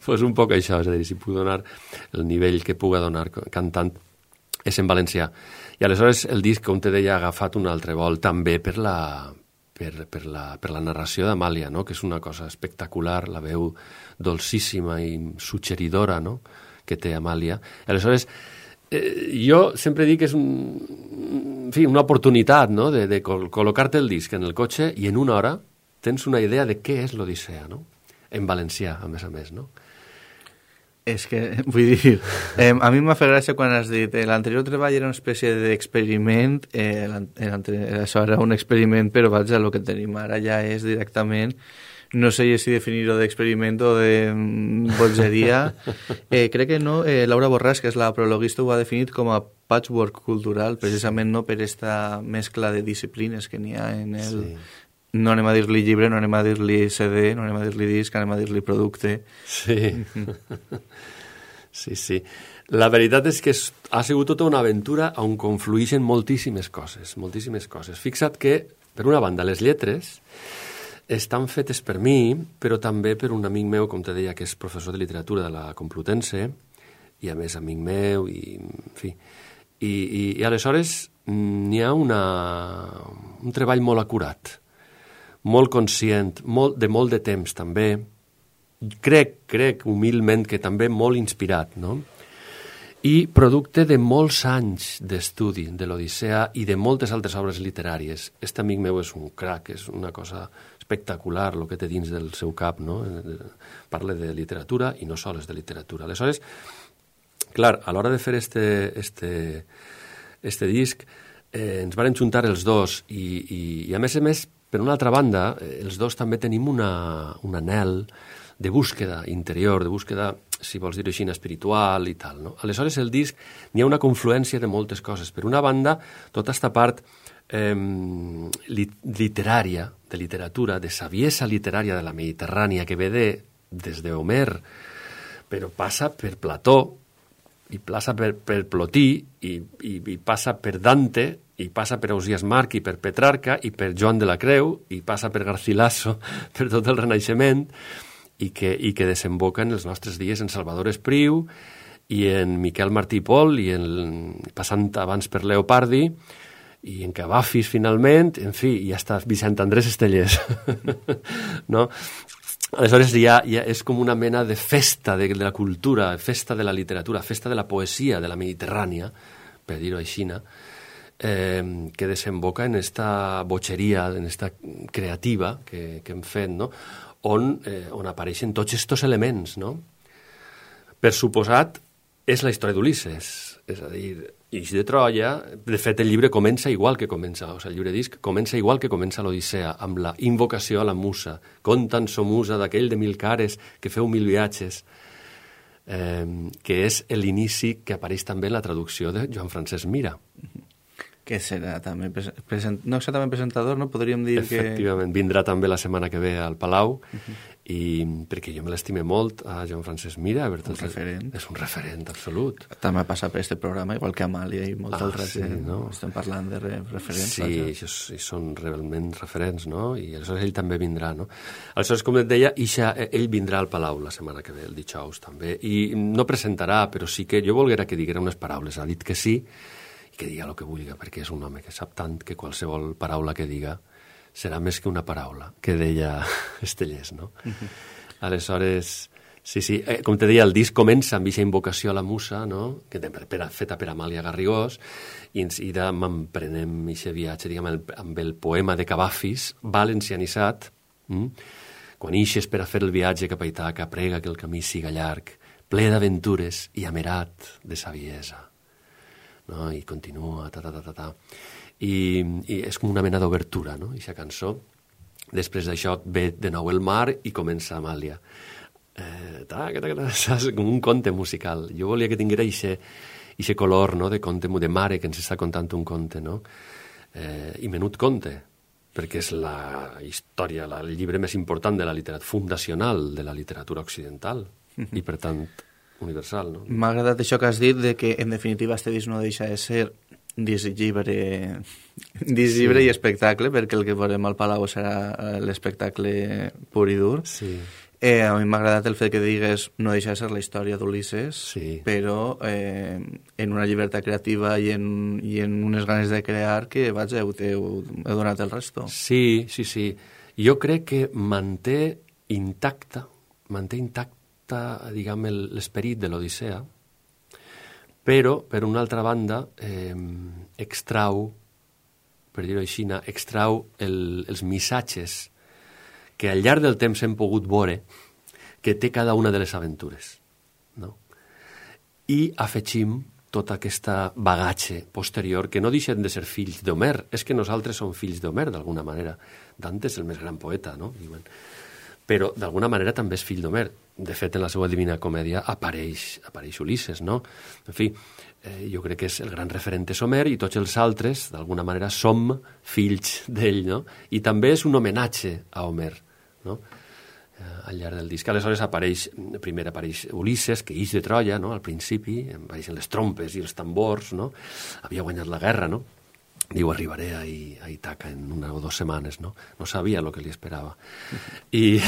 Pues un poc això, és a dir, si puc donar el nivell que puga donar cantant és en valencià. I aleshores el disc, com te deia, ha agafat un altre vol, també per la, per, per la, per la narració d'Amàlia, no? Que és una cosa espectacular, la veu dolcíssima i suggeridora, no? Que té Amàlia. Aleshores, eh, jo sempre dic que és un, en fi, una oportunitat, no? de, de col col·locar-te el disc en el cotxe i en una hora tens una idea de què és l'Odissea, no? En valencià, a més a més, no? És que, vull dir, eh, a mi m'ha fet gràcia quan has dit eh, l'anterior treball era una espècie d'experiment, eh, això era un experiment, però vaja, el que tenim ara ja és directament, no sé si definir-ho d'experiment o de bogeria. Eh, crec que no, eh, Laura Borràs, que és la prologuista, ho ha definit com a patchwork cultural, precisament no per esta mescla de disciplines que n'hi ha en el... Sí. No anem a dir-li llibre, no anem a dir-li C D, no anem a dir-li disc, anem a dir-li producte. Sí. Sí, sí. La veritat és que ha sigut tota una aventura on confluïxen moltíssimes coses, moltíssimes coses. Fixa't que, per una banda, les lletres estan fetes per mi, però també per un amic meu, com te deia, que és professor de literatura de la Complutense, i a més amic meu, i en fi. I, i, i aleshores n'hi ha una, un treball molt acurat, molt conscient, molt, de molt de temps també, crec, crec humilment que també molt inspirat, no? i producte de molts anys d'estudi de l'Odissea i de moltes altres obres literàries. Este amic meu és un crac, és una cosa espectacular el que té dins del seu cap, no? Parla de literatura i no sols de literatura. Aleshores, clar, a l'hora de fer este, este, este disc, eh, ens van juntar els dos i, i, i a més a més, per una altra banda, eh, els dos també tenim una, un anhel de búsqueda interior, de búsqueda, si vols dir-ho així, espiritual i tal, no? Aleshores, el disc, n'hi ha una confluència de moltes coses. Per una banda, tota aquesta part eh, literària, de literatura, de saviesa literària de la Mediterrània, que ve de, des d'Homer, però passa per Plató, i passa per, per Plotí, i, i, i passa per Dante, i passa per Ausiàs March, i per Petrarca, i per Joan de la Creu, i passa per Garcilaso, per tot el Renaixement, i que, i que desemboca en els nostres dies en Salvador Espriu, i en Miquel Martí i Pol, i en, passant abans per Leopardi, i en Cavafis, finalment, en fi, i hasta Vicent Andrés Estellés. No? Aleshores ja, ja és com una mena de festa de, de la cultura, festa de la literatura, festa de la poesia de la Mediterrània, per dir-ho així, eh, que desemboca en esta bogeria, en esta creativa que, que hem fet, no? on, eh, on apareixen tots estos elements. No? Per suposat, és la història d'Ulisses, és a dir, Ix de Troia. De fet, el llibre comença igual que comença, o sigui, el llibre disc comença igual que comença l'Odissea, amb la invocació a la musa. Conta'n so musa d'aquell de mil cares que feu mil viatges, eh, que és l'inici que apareix també en la traducció de Joan Francesc Mira. Que serà també, present, no exactament presentador, no? Podríem dir que... Efectivament, vindrà també la setmana que ve al Palau, uh-huh. i perquè jo me l'estime molt a Joan Francesc Mira. Un referent. És un referent absolut. També ha passat per aquest programa, igual que Amàlia i molta ah, altra sí, gent. No? Estem parlant de re referents. Sí, això, i són realment referents, no? I aleshores ell també vindrà, no? Aleshores, com et deia, Ixa, ell vindrà al Palau la setmana que ve, el dijous també, i no presentarà, però sí que jo volguera que diguera unes paraules. Ha dit que sí, que diga el que vulgui, perquè és un home que sap tant que qualsevol paraula que diga serà més que una paraula, que deia Estellés, no? Uh-huh. Aleshores, sí, sí, eh, com te deia, el disc comença amb aquesta invocació a la musa, no? Que per, per, feta per Amàlia Garrigós, i ens ira, m'emprenem aquest viatge, diguem, el, amb el poema de Cavafis, valencianitzat, hm? Quan ixes per a fer el viatge cap a Itaca, prega que el camí siga llarg, ple d'aventures i amerat de saviesa. No? I continua, ta, ta, ta, ta, ta. I, i és com una mena d'obertura, no?, aquesta cançó. Després d'això ve de nou el mar i comença Amàlia. Eh, ta, ta, ta, ta, saps? Com un conte musical. Jo volia que tinguera aquest color, no?, de conte, de mare que ens està contant un conte, no? Eh, I menut conte, perquè és la història, la, el llibre més important de la literatura, fundacional de la literatura occidental, mm-hmm. i per tant universal, no? M'ha agradat això que has dit, de que en definitiva este disc no deixa de ser disc llibre, disc llibre sí. i espectacle, perquè el que veurem al Palau serà l'espectacle pur i dur. Sí. Eh, a mi m'ha agradat el fet que digues no deixa de ser la història d'Ulisses, sí. però eh, en una llibertat creativa i en, i en unes ganes de crear que, vaja, heu, heu, heu donat el resto. Sí, sí, sí. Jo crec que manté intacta, manté intacta diguem, l'esperit de l'Odissea, però, per una altra banda, eh, extrau, per dir-ho així, extrau el, els missatges que al llarg del temps hem pogut veure que té cada una de les aventures, no? I afegim tota aquesta bagatge posterior, que no deixen de ser fills d'Homer. És que nosaltres som fills d'Homer, d'alguna manera. Dante és el més gran poeta, no? Diuen. Però d'alguna manera també és fill d'Homer. De fet, en la seva Divina Comèdia apareix, apareix Ulisses, no? En fi, eh, jo crec que és el gran referent és Homer i tots els altres, d'alguna manera, som fills d'ell, no? I també és un homenatge a Homer, no? Eh, al llarg del disc. Aleshores apareix, primer apareix Ulisses, que ix de Troia, no? Al principi, apareixen les trompes i els tambors, no? Havia guanyat la guerra, no? Diu, arribaré a, a Itaca en una o dues setmanes, no? No sabia el que li esperava. I,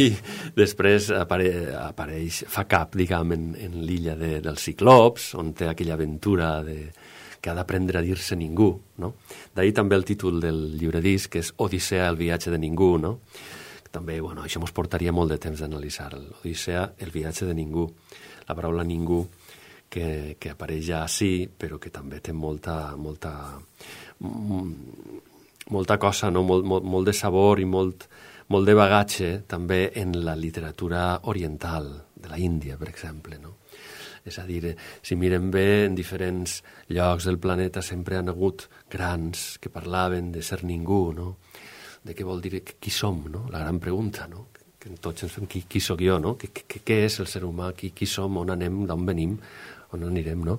i després apare, apareix, fa cap, diguem, en, en l'illa de, dels Ciclops, on té aquella aventura de, que ha d'aprendre a dir-se ningú, no? D'ahir també el títol del llibre disc, que és Odissea, el viatge de ningú, no? També, bueno, això ens portaria molt de temps d'analitzar. L'Odissea, el viatge de ningú. La paraula ningú que, que apareix ja sí, però que també té molta, molta, molta cosa, no? molt, molt, molt de sabor i molt, molt de bagatge també en la literatura oriental de la Índia, per exemple, no? És a dir, si mirem bé, en diferents llocs del planeta sempre han hagut grans que parlaven de ser ningú, no? De què vol dir, qui som, no? La gran pregunta, no? Que tots ens fem, qui, qui sóc jo, no? Què, què, què és el ser humà? Qui, qui som? On anem? D'on venim? On anirem, no?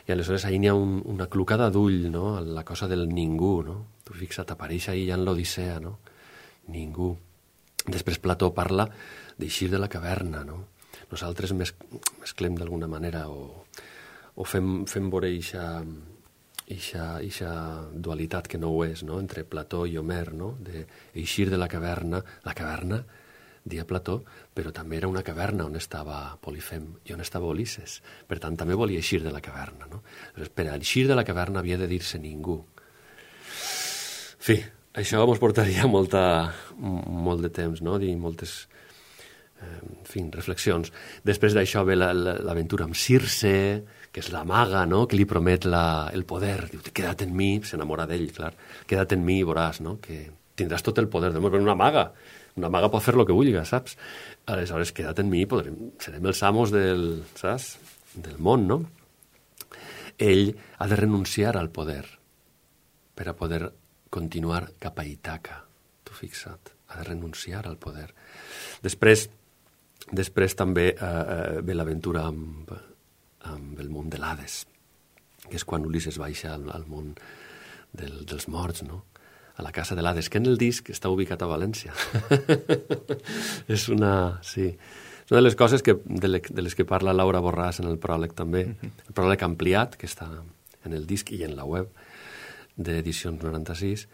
I aleshores ahir n'hi ha un, una clucada d'ull, no? La cosa del ningú, no? Tu fixa't, apareix ahir ja en l'Odissea, no? Ningú. Després Plató parla d'eixir de la caverna, no? Nosaltres mes, mesclem d'alguna manera o, o fem, fem veure eixa, eixa, eixa dualitat que no ho és, no? Entre Plató i Homer, no? De eixir de la caverna. La caverna, dia Plató, però també era una caverna on estava Polifem i on estava Ulisses. Per tant, també volia eixir de la caverna, no? Per eixir de la caverna havia de dir-se ningú. En fi, això ens portaria molta, molt de temps, no? Dir moltes... en fi, reflexions. Després d'això ve l'aventura amb Circe, que és la maga, no? Que li promet la, el poder. Diu, queda't en mi, s'enamora d'ell, clar. Queda't en mi i veuràs, no? Que tindràs tot el poder. Però una maga, una maga pot fer el que vulgui, saps? Aleshores, queda't en mi, podrem, serem els amos del, saps? Del món, no? Ell ha de renunciar al poder per a poder continuar cap a Ítaca. Tu fixa't, ha de renunciar al poder. Després, Després també eh, ve l'aventura amb, amb el món de l'Hades, que és quan Ulisses baixa al, al món del, dels morts, no? A la casa de l'Hades, que en el disc està ubicat a València. És una... sí. És una de les coses que, de, les, de les que parla Laura Borràs en el pròleg també. El pròleg ampliat, que està en el disc i en la web d'Edicions noranta-sis,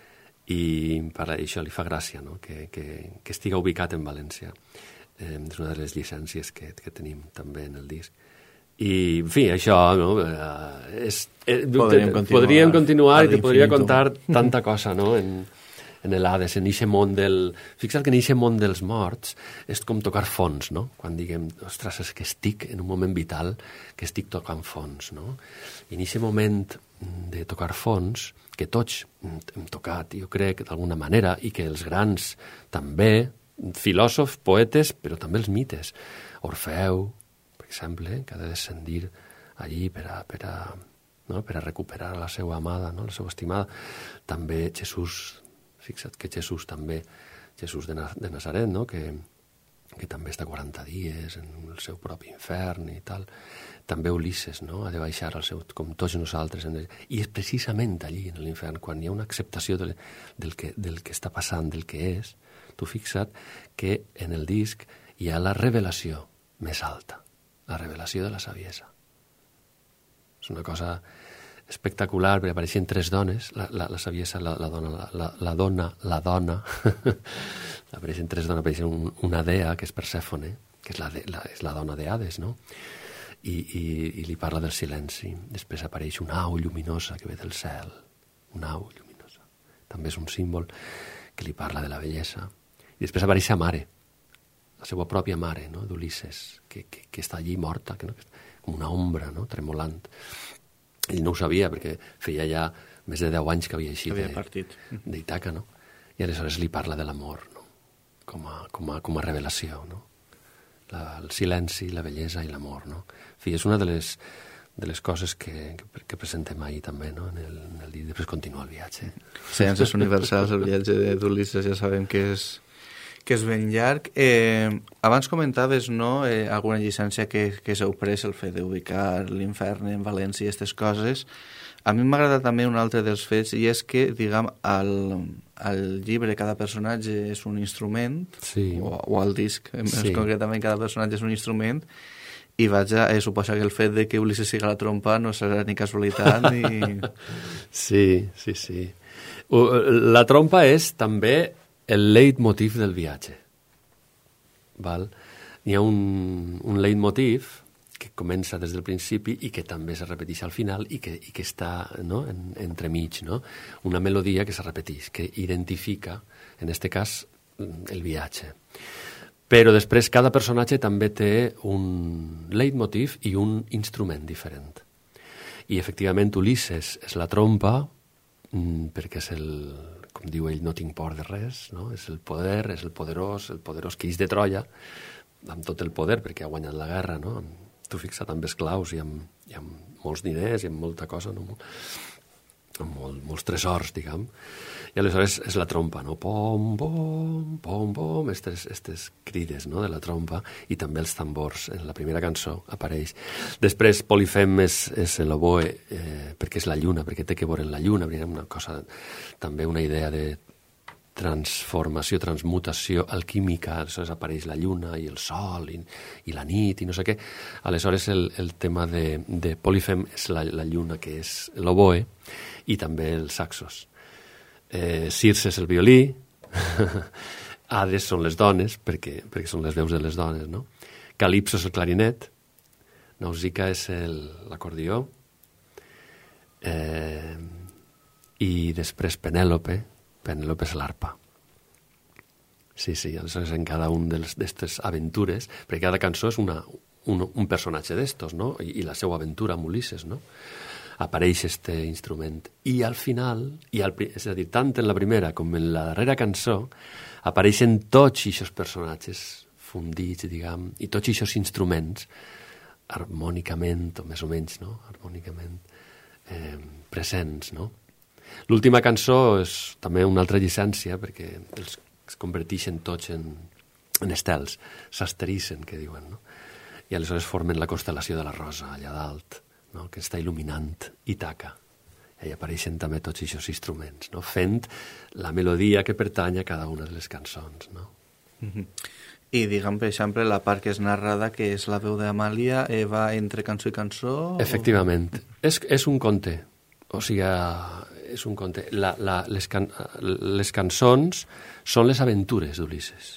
i per això li fa gràcia, no? que, que, que estiga ubicat en València. Eh, és una de les llicències que, que tenim també en el disc. I, en fi, això, no? Eh, és, eh, podríem continuar, podríem continuar i te podria contar tanta cosa, no?, en, en l'Hades, en eixe món del... Fixa't que en eixe món dels morts és com tocar fons, no? Quan diguem, ostres, és que estic en un moment vital que estic tocant fons, no? I en eixe moment de tocar fons, que tots hem tocat, jo crec, d'alguna manera, i que els grans també, filòsofs, poetes, però també els mites. Orfeu, per exemple, que ha de descendir allí per a, per a, no? per a recuperar la seva amada, no? La seva estimada. També Jesús, fixa't que Jesús també, Jesús de, Na, de Nazaret, no? que, que també està quaranta dies en el seu propi infern i tal. També Ulisses, no? Ha de baixar al seu, com tots nosaltres. En el, I és precisament allí, en l'infern, quan hi ha una acceptació de, del, que, del que està passant, del que és. Tu fixa't que en el disc hi ha la revelació més alta, la revelació de la saviesa. És una cosa espectacular, perquè apareixen tres dones, la, la, la saviesa la, la dona, la, la, la dona, la dona, apareixen tres dones, apareixen un, una dea, que és Persèfone, que és la, de, la, és la dona de Hades, no? I, i, i li parla del silenci. Després apareix una au lluminosa que ve del cel, una au lluminosa. També és un símbol que li parla de la bellesa. I després apareix sa mare, la seva pròpia mare, no? d'Ulisses, que, que, que està allí morta, que, no? com una ombra, no? tremolant. Ell no ho sabia, perquè feia ja més de deu anys que havia eixit d'Ítaca, no? I aleshores li parla de l'amor, no? com, a, com, a, com a revelació, no? La, el silenci, la bellesa i l'amor. No? En fi, és una de les, de les coses que, que, que presentem ahir també, no? en el, en el dia. Després continua el viatge. Ciències universals, el viatge d'Ulisses, ja sabem que és que és ben llarg. Eh, abans comentaves, no?, eh, alguna llicència que, que s'heu pres, el fet d'ubicar l'infern en València i aquestes coses. A mi m'agrada també un altre dels fets, i és que, diguem, al, al llibre cada personatge és un instrument, sí. o, o al disc, més sí. concretament cada personatge és un instrument, i vaig a eh, suposar que el fet de que Ulisses siga la trompa no serà ni casualitat ni... Sí, sí, sí. La trompa és també el leitmotiv del viatge. Val? Hi ha un, un leitmotiv que comença des del principi i que també se repeteix al final i que, i que està, no?, en, entremig, no? Una melodia que se repeteix, que identifica, en aquest cas, el viatge. Però després cada personatge també té un leitmotiv i un instrument diferent. I efectivament Ulisses és la trompa, perquè és el, com diu ell, no tinc por de res, no? És el poder, és el poderós, el poderós que ix de Troia, amb tot el poder, perquè ha guanyat la guerra, no? Tu fixa't, amb esclaus i amb, i amb molts diners i amb molta cosa, no? Amb molt, molts tresors, diguem. I aleshores és la trompa, no? Pom, pom, pom, pom, estes, estes crides, no?, de la trompa, i també els tambors. En la primera cançó apareix. Després Polifem és, és l'oboe, eh, perquè és la lluna, perquè té que veure la lluna, una cosa, també una idea de transformació, transmutació alquímica, aleshores apareix la lluna i el sol i, i la nit i no sé què. Aleshores el, el tema de, de Polifem és la, la lluna, que és l'oboe, i també els saxos. Eh, Circe és el violí, Hades són les dones, perquè, perquè són les veus de les dones, no? Calipso és el clarinet, Nausicaa és l'acordió, eh, i després Penèlope, Penèlope és l'arpa. Sí, sí, aleshores en cada un d'aquestes aventures, perquè cada cançó és una, un, un personatge d'estos, no? I, i la seva aventura amb Ulisses, no? Apareix este instrument. I al final, i al, és a dir, tant en la primera com en la darrera cançó, apareixen tots aquests personatges fundits, diguem, i tots aquests instruments harmònicament, o més o menys, no? Harmònicament eh, presents, no? L'última cançó és també una altra llicència, perquè els es converteixen tots en, en estels, s'asterissen, que diuen, no? I aleshores formen la constel·lació de la Rosa, allà dalt, no? Que està il·luminant Ítaca. I apareixen també tots aquests instruments, no? Fent la melodia que pertany a cada una de les cançons, no? Mm-hmm. I, diguem, per exemple, la part que és narrada, que és la veu d'Amàlia, eh, va entre cançó i cançó? Efectivament. O... És, és un conte. O sigui, és un conte. La, la, les, can, les cançons són les aventures d'Ulisses.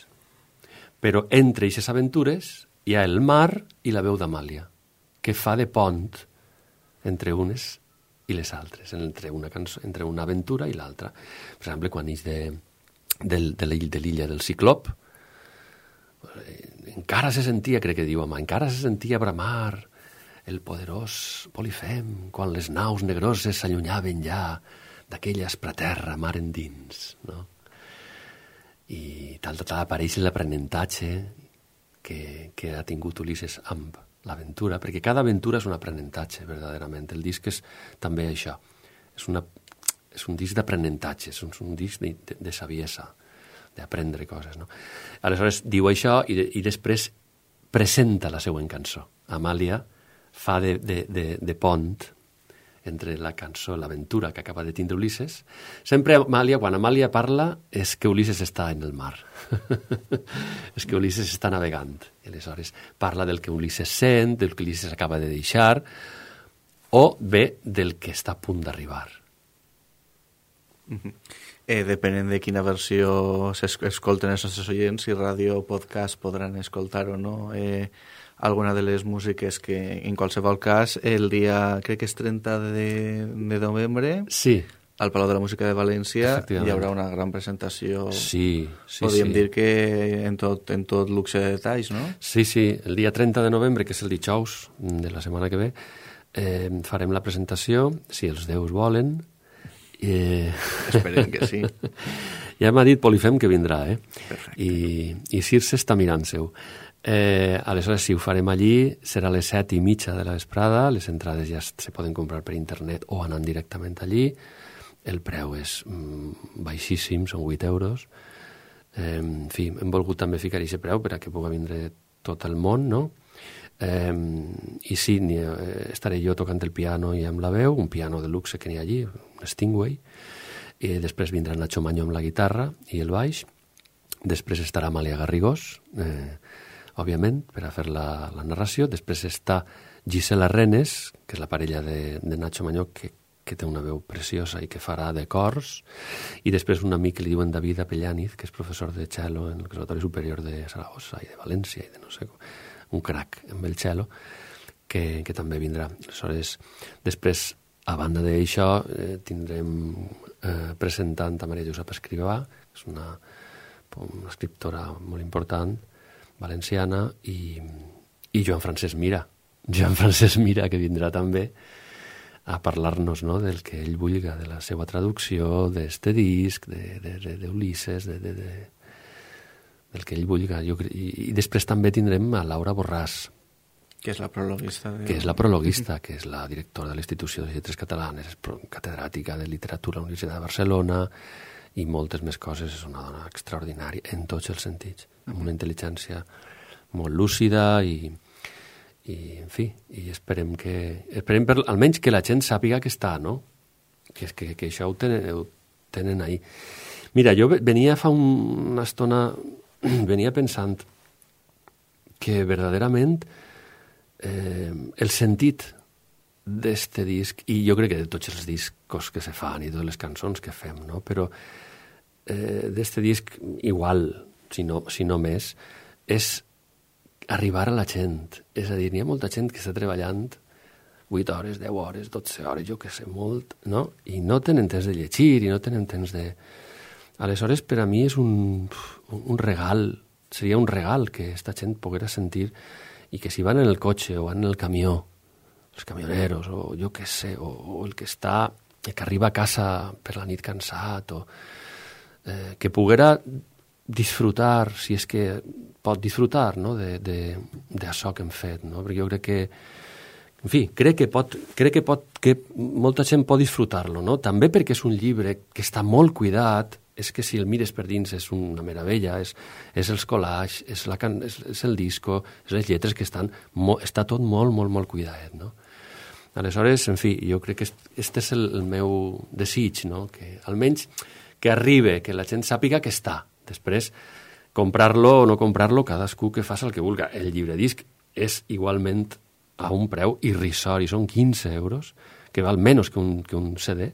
Però entre aquestes aventures hi ha el mar i la veu d'Amàlia, que fa de pont entre unes i les altres, entre una, cançó, entre una aventura i l'altra. Per exemple, quan ix de, de, de l'illa del Ciclop, encara se sentia, crec que diu home, encara se sentia bramar el poderós Polifem, quan les naus negroses s'allunyaven ja d'aquella espraterra mar endins, no? I tal, tal, tal, apareix l'aprenentatge que, que ha tingut Ulisses amb l'aventura, perquè cada aventura és un aprenentatge, verdaderament. El disc és també això, és, una, és un disc d'aprenentatge, és un, un disc de, de, de saviesa, d'aprendre coses, no? Aleshores diu això i, de, i després presenta la següent cançó. Amàlia fa de, de, de, de pont entre la cançó, l'aventura que acaba de tindre Ulisses. Sempre Amàlia, quan Amàlia parla, és que Ulisses està en el mar. És que Ulisses està navegant. I aleshores parla del que Ulisses sent, del que Ulisses acaba de deixar, o bé del que està a punt d'arribar. Mm-hmm. Eh, depenent de quina versió s'escolten els nostres oients, si ràdio o podcast podran escoltar o no eh, alguna de les músiques que, en qualsevol cas, el dia, crec que és trenta de, de novembre, sí, al Palau de la Música de València hi haurà una gran presentació. Sí, sí, podríem sí. dir que en tot, en tot luxe de detalls, no? Sí, sí, el dia trenta de novembre, que és el dijous de la setmana que ve, eh, farem la presentació, si els déus volen. Eh... Esperem que sí. Ja m'ha dit Polifem que vindrà, eh? Perfecte. I, i Circe està mirant-seu. Eh, aleshores, si ho farem allí, serà a les set i mitja de la vesprada, les entrades ja se poden comprar per internet o anant directament allí. El preu és mm, baixíssim, són vuit euros. Eh, en fi, hem volgut també ficar aquest preu per a que pugui vindre tot el món, no? Eh, I sí, ni, eh, estaré jo tocant el piano i amb la veu, un piano de luxe que n'hi ha allí, un Stingway, i després vindrà Nacho Maño amb la guitarra i el baix, després estarà Amàlia Garrigós, eh, òbviament, per a fer la, la narració, després està Gisela Renes, que és la parella de, de Nacho Maño, que, que té una veu preciosa i que farà de cors, i després un amic que li diuen David Apellaniz, que és professor de cello en el Conservatori Superior de Saragossa i de València i de no sé com, un crac amb el cello, que, que també vindrà. Aleshores, després, a banda d'això, eh, tindrem eh, presentant a Maria Josep Escrivà, que és una, una escriptora molt important valenciana, i, i Joan Francesc Mira. Joan Francesc Mira, que vindrà també a parlar-nos, no?, del que ell vulga, de la seva traducció, d'este disc, d'Ulisses, de, de, de, de, del que ell vulga. Jo, i, I després també tindrem a Laura Borràs, que és la prologuista. De... Que és la prologuista, que és la directora de l'Institució de Lletres Catalanes, és catedràtica de literatura a la Universitat de Barcelona i moltes més coses. És una dona extraordinària en tots els sentits, amb una intel·ligència molt lúcida i... i, en fi, i esperem que, esperem per, almenys que la gent sàpiga que està, no? Que, que, que això ho tenen, ho tenen ahí. Mira, jo venia fa un, una estona, venia pensant que verdaderament eh, el sentit d'este disc, i jo crec que de tots els discos que se fan i totes les cançons que fem, no? Però eh, d'este disc igual, si no, si no més, és arribar a la gent. És a dir, hi ha molta gent que està treballant vuit hores, deu hores, dotze hores, jo que sé, molt, no? I no tenen temps de llegir, i no tenen temps de... Aleshores, per a mi és un, un regal, seria un regal que esta gent poguera sentir, i que si van en el cotxe o van en el camió, els camioneros, o jo que sé, o, o el que està, el que arriba a casa per la nit cansat, o eh, que poguera disfrutar, si és que pot disfrutar, no?, d'això que hem fet, no? Perquè jo crec que, en fi, crec que pot, crec que pot, que molta gent pot disfrutar-lo, no? També perquè és un llibre que està molt cuidat, és que si el mires per dins és una meravella, és, és els collages, és, la can, és, és el disco, és les lletres que estan, mo, està tot molt, molt, molt cuidat, no? Aleshores, en fi, jo crec que este és el, el meu desig, no?, que almenys que arribe, que la gent sàpiga que està. Després, comprar-lo o no comprar-lo, cadascú que faci el que vulga. El llibredisc és igualment a un preu irrisori, són quinze euros, que val menys que un, que un C D.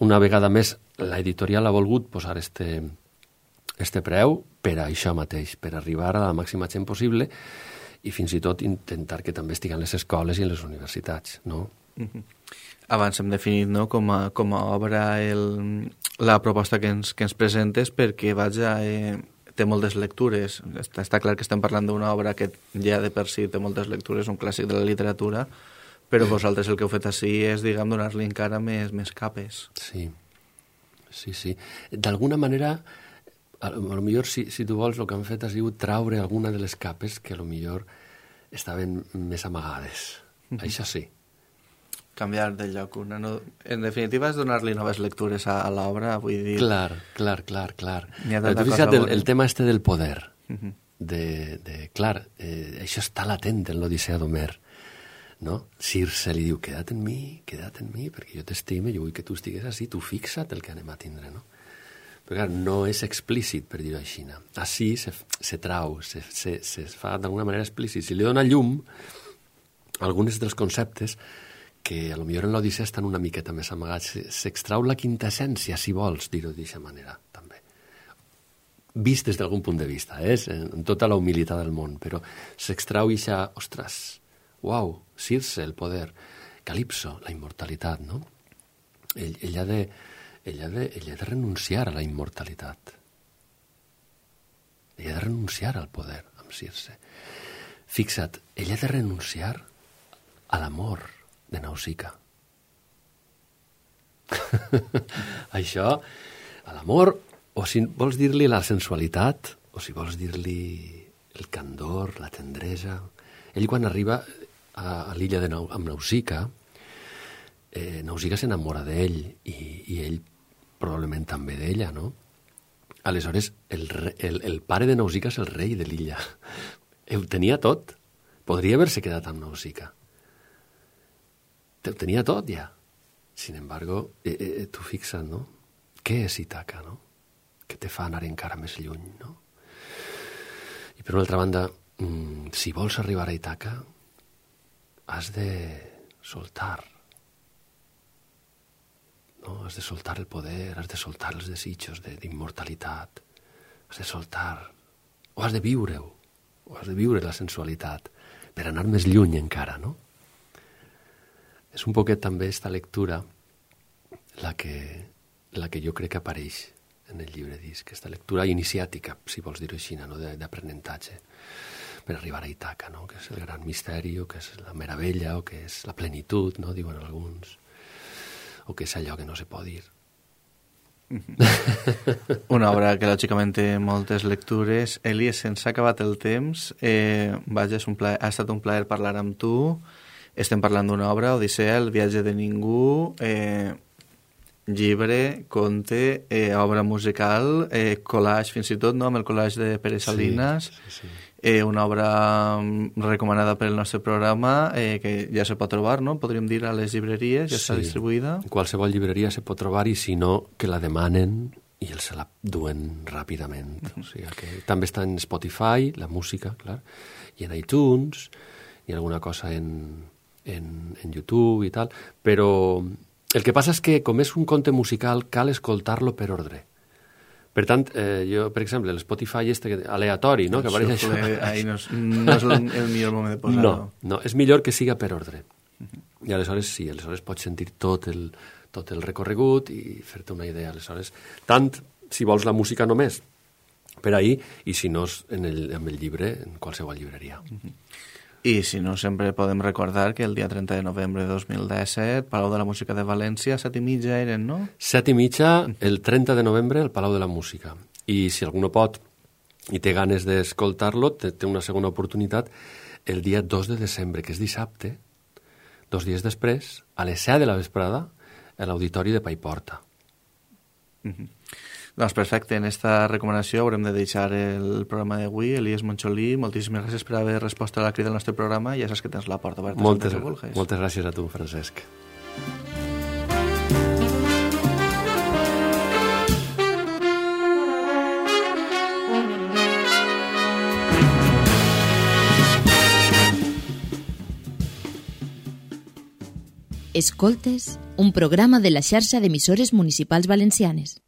Una vegada més, l'editorial ha volgut posar este, este preu per a això mateix, per arribar a la màxima gent possible i fins i tot intentar que també estiguen les escoles i les universitats, no? Mm-hmm. Abans hem definit, no?, com a, com a obra el, la proposta que ens, que ens presentes, perquè vaja, eh, té moltes lectures. Està, està clar que estem parlant d'una obra que ja de per si té moltes lectures, un clàssic de la literatura, però vosaltres el que heu fet així és, diguem, donar-li encara més, més capes. Sí, sí, sí. D'alguna manera, a lo millor, si, si tu vols, el que han fet ha sigut traure alguna de les capes que a lo millor estaven més amagades. Mm-hmm. Això sí. Canviar de lloc. Una no... En definitiva, és donar-li noves lectures a, a l'obra, vull dir... Clar, clar, clar, clar. Tu fixa't el, el tema este del poder. Uh-huh. de, de, clar, eh, això està latent en l'Odissea d'Homer, no? Circe li diu, queda't en mi, queda't en mi, perquè jo t'estime, jo vull que tu estigues així, tu fixa't el que anem a tindre, no? Però clar, no és explícit, per dir-ho així. Així se, se trau, se, se, se fa d'alguna manera explícit. Si li dona llum, alguns dels conceptes que a lo millor en l'Odissea estan una miqueta més amagats, s'extrau la quintessència, si vols dir-ho d'aquesta manera, també. Vist des d'algun punt de vista, eh? En tota la humilitat del món, però s'extrau i ja, ostres, uau, Circe, el poder, Calipso, la immortalitat, no? Ell, ell, ha de, ell, ha de, ell ha de renunciar a la immortalitat. Ell ha de renunciar al poder, amb Circe. Fixa't, ell ha de renunciar a l'amor de Nausica. Això, a l'amor, o si vols dir-li la sensualitat, o si vols dir-li el candor, la tendresa. Ell, quan arriba a, a l'illa de Nau, amb Nausica, eh, Nausica s'enamora d'ell i, i ell probablement també d'ella, no? Aleshores, el, el, el pare de Nausica és el rei de l'illa. Ho tenia tot. Podria haver-se quedat amb Nausica. Ho tenia tot, ja. Sin embargo, eh, eh, tu fixa't, no? Què és Ítaca, no? Que te fa anar encara més lluny, no? I per una altra banda, mmm, si vols arribar a Ítaca, has de soltar. No? Has de soltar el poder, has de soltar els desitjos d'immortalitat, has de soltar, o has de viure-ho, o has de viure la sensualitat, per anar més lluny encara, no? És un poquet també esta lectura la que, la que jo crec que apareix en el llibre disc, aquesta lectura iniciàtica, si vols dir-ho així, no? d'aprenentatge, per arribar a Ítaca, no? Que és el gran misteri, o que és la meravella, o que és la plenitud, no? Diuen alguns, o que és allò que no se pot dir. Una obra que lògicament té moltes lectures. Elies, se'ns ha acabat el temps. Eh, vaja, és un plaer, ha estat un plaer parlar amb tu. Estem parlant d'una obra, Odissea, el viatge de ningú, eh, llibre, conte, eh, obra musical, eh, collage fins i tot, no?, amb el collage de Pere Salinas. Sí, sí, sí. Eh, una obra recomanada per el nostre programa, eh, que ja se pot trobar, no? Podríem dir a les llibreries, ja sí. Està distribuïda. En qualsevol llibreria se pot trobar, i si no, que la demanen i els se la duen ràpidament. Uh-huh. O sigui que també està en Spotify, la música, clar, i en iTunes, i alguna cosa en, en, en YouTube i tal, però el que passa és que, com és un conte musical, cal escoltar-lo per ordre. Per tant, eh, jo, per exemple, l'Spotify este aleatori, no?, que apareix això... Ahí no és, no és el, el millor moment de posar-lo. No, no, és millor que siga per ordre. Uh-huh. I aleshores sí, aleshores pots sentir tot el, tot el recorregut i fer-te una idea. Aleshores, tant si vols la música només, per ahí, i si no, en el, en el llibre, en qualsevol llibreria. Uh-huh. I si no, sempre podem recordar que el dia trenta de novembre de dos mil disset, Palau de la Música de València, set i mitja eren, no? Set i mitja, el trenta de novembre, al Palau de la Música. I si algú no pot i té ganes d'escoltar-lo, té, té una segona oportunitat el dia dos de desembre, que és dissabte, dos dies després, a les set de la vesprada, a l'Auditori de Paiporta. Mm-hmm. Doncs perfecte, en esta recomanació haurem de deixar el programa d'avui. Elies Moncholí, moltíssimes gràcies per haver respost a la crida del nostre programa. Ja saps que tens la porta oberta. Moltes, moltes gràcies a tu, Francesc. Escoltes, un programa de la xarxa d'emissores municipals valencianes.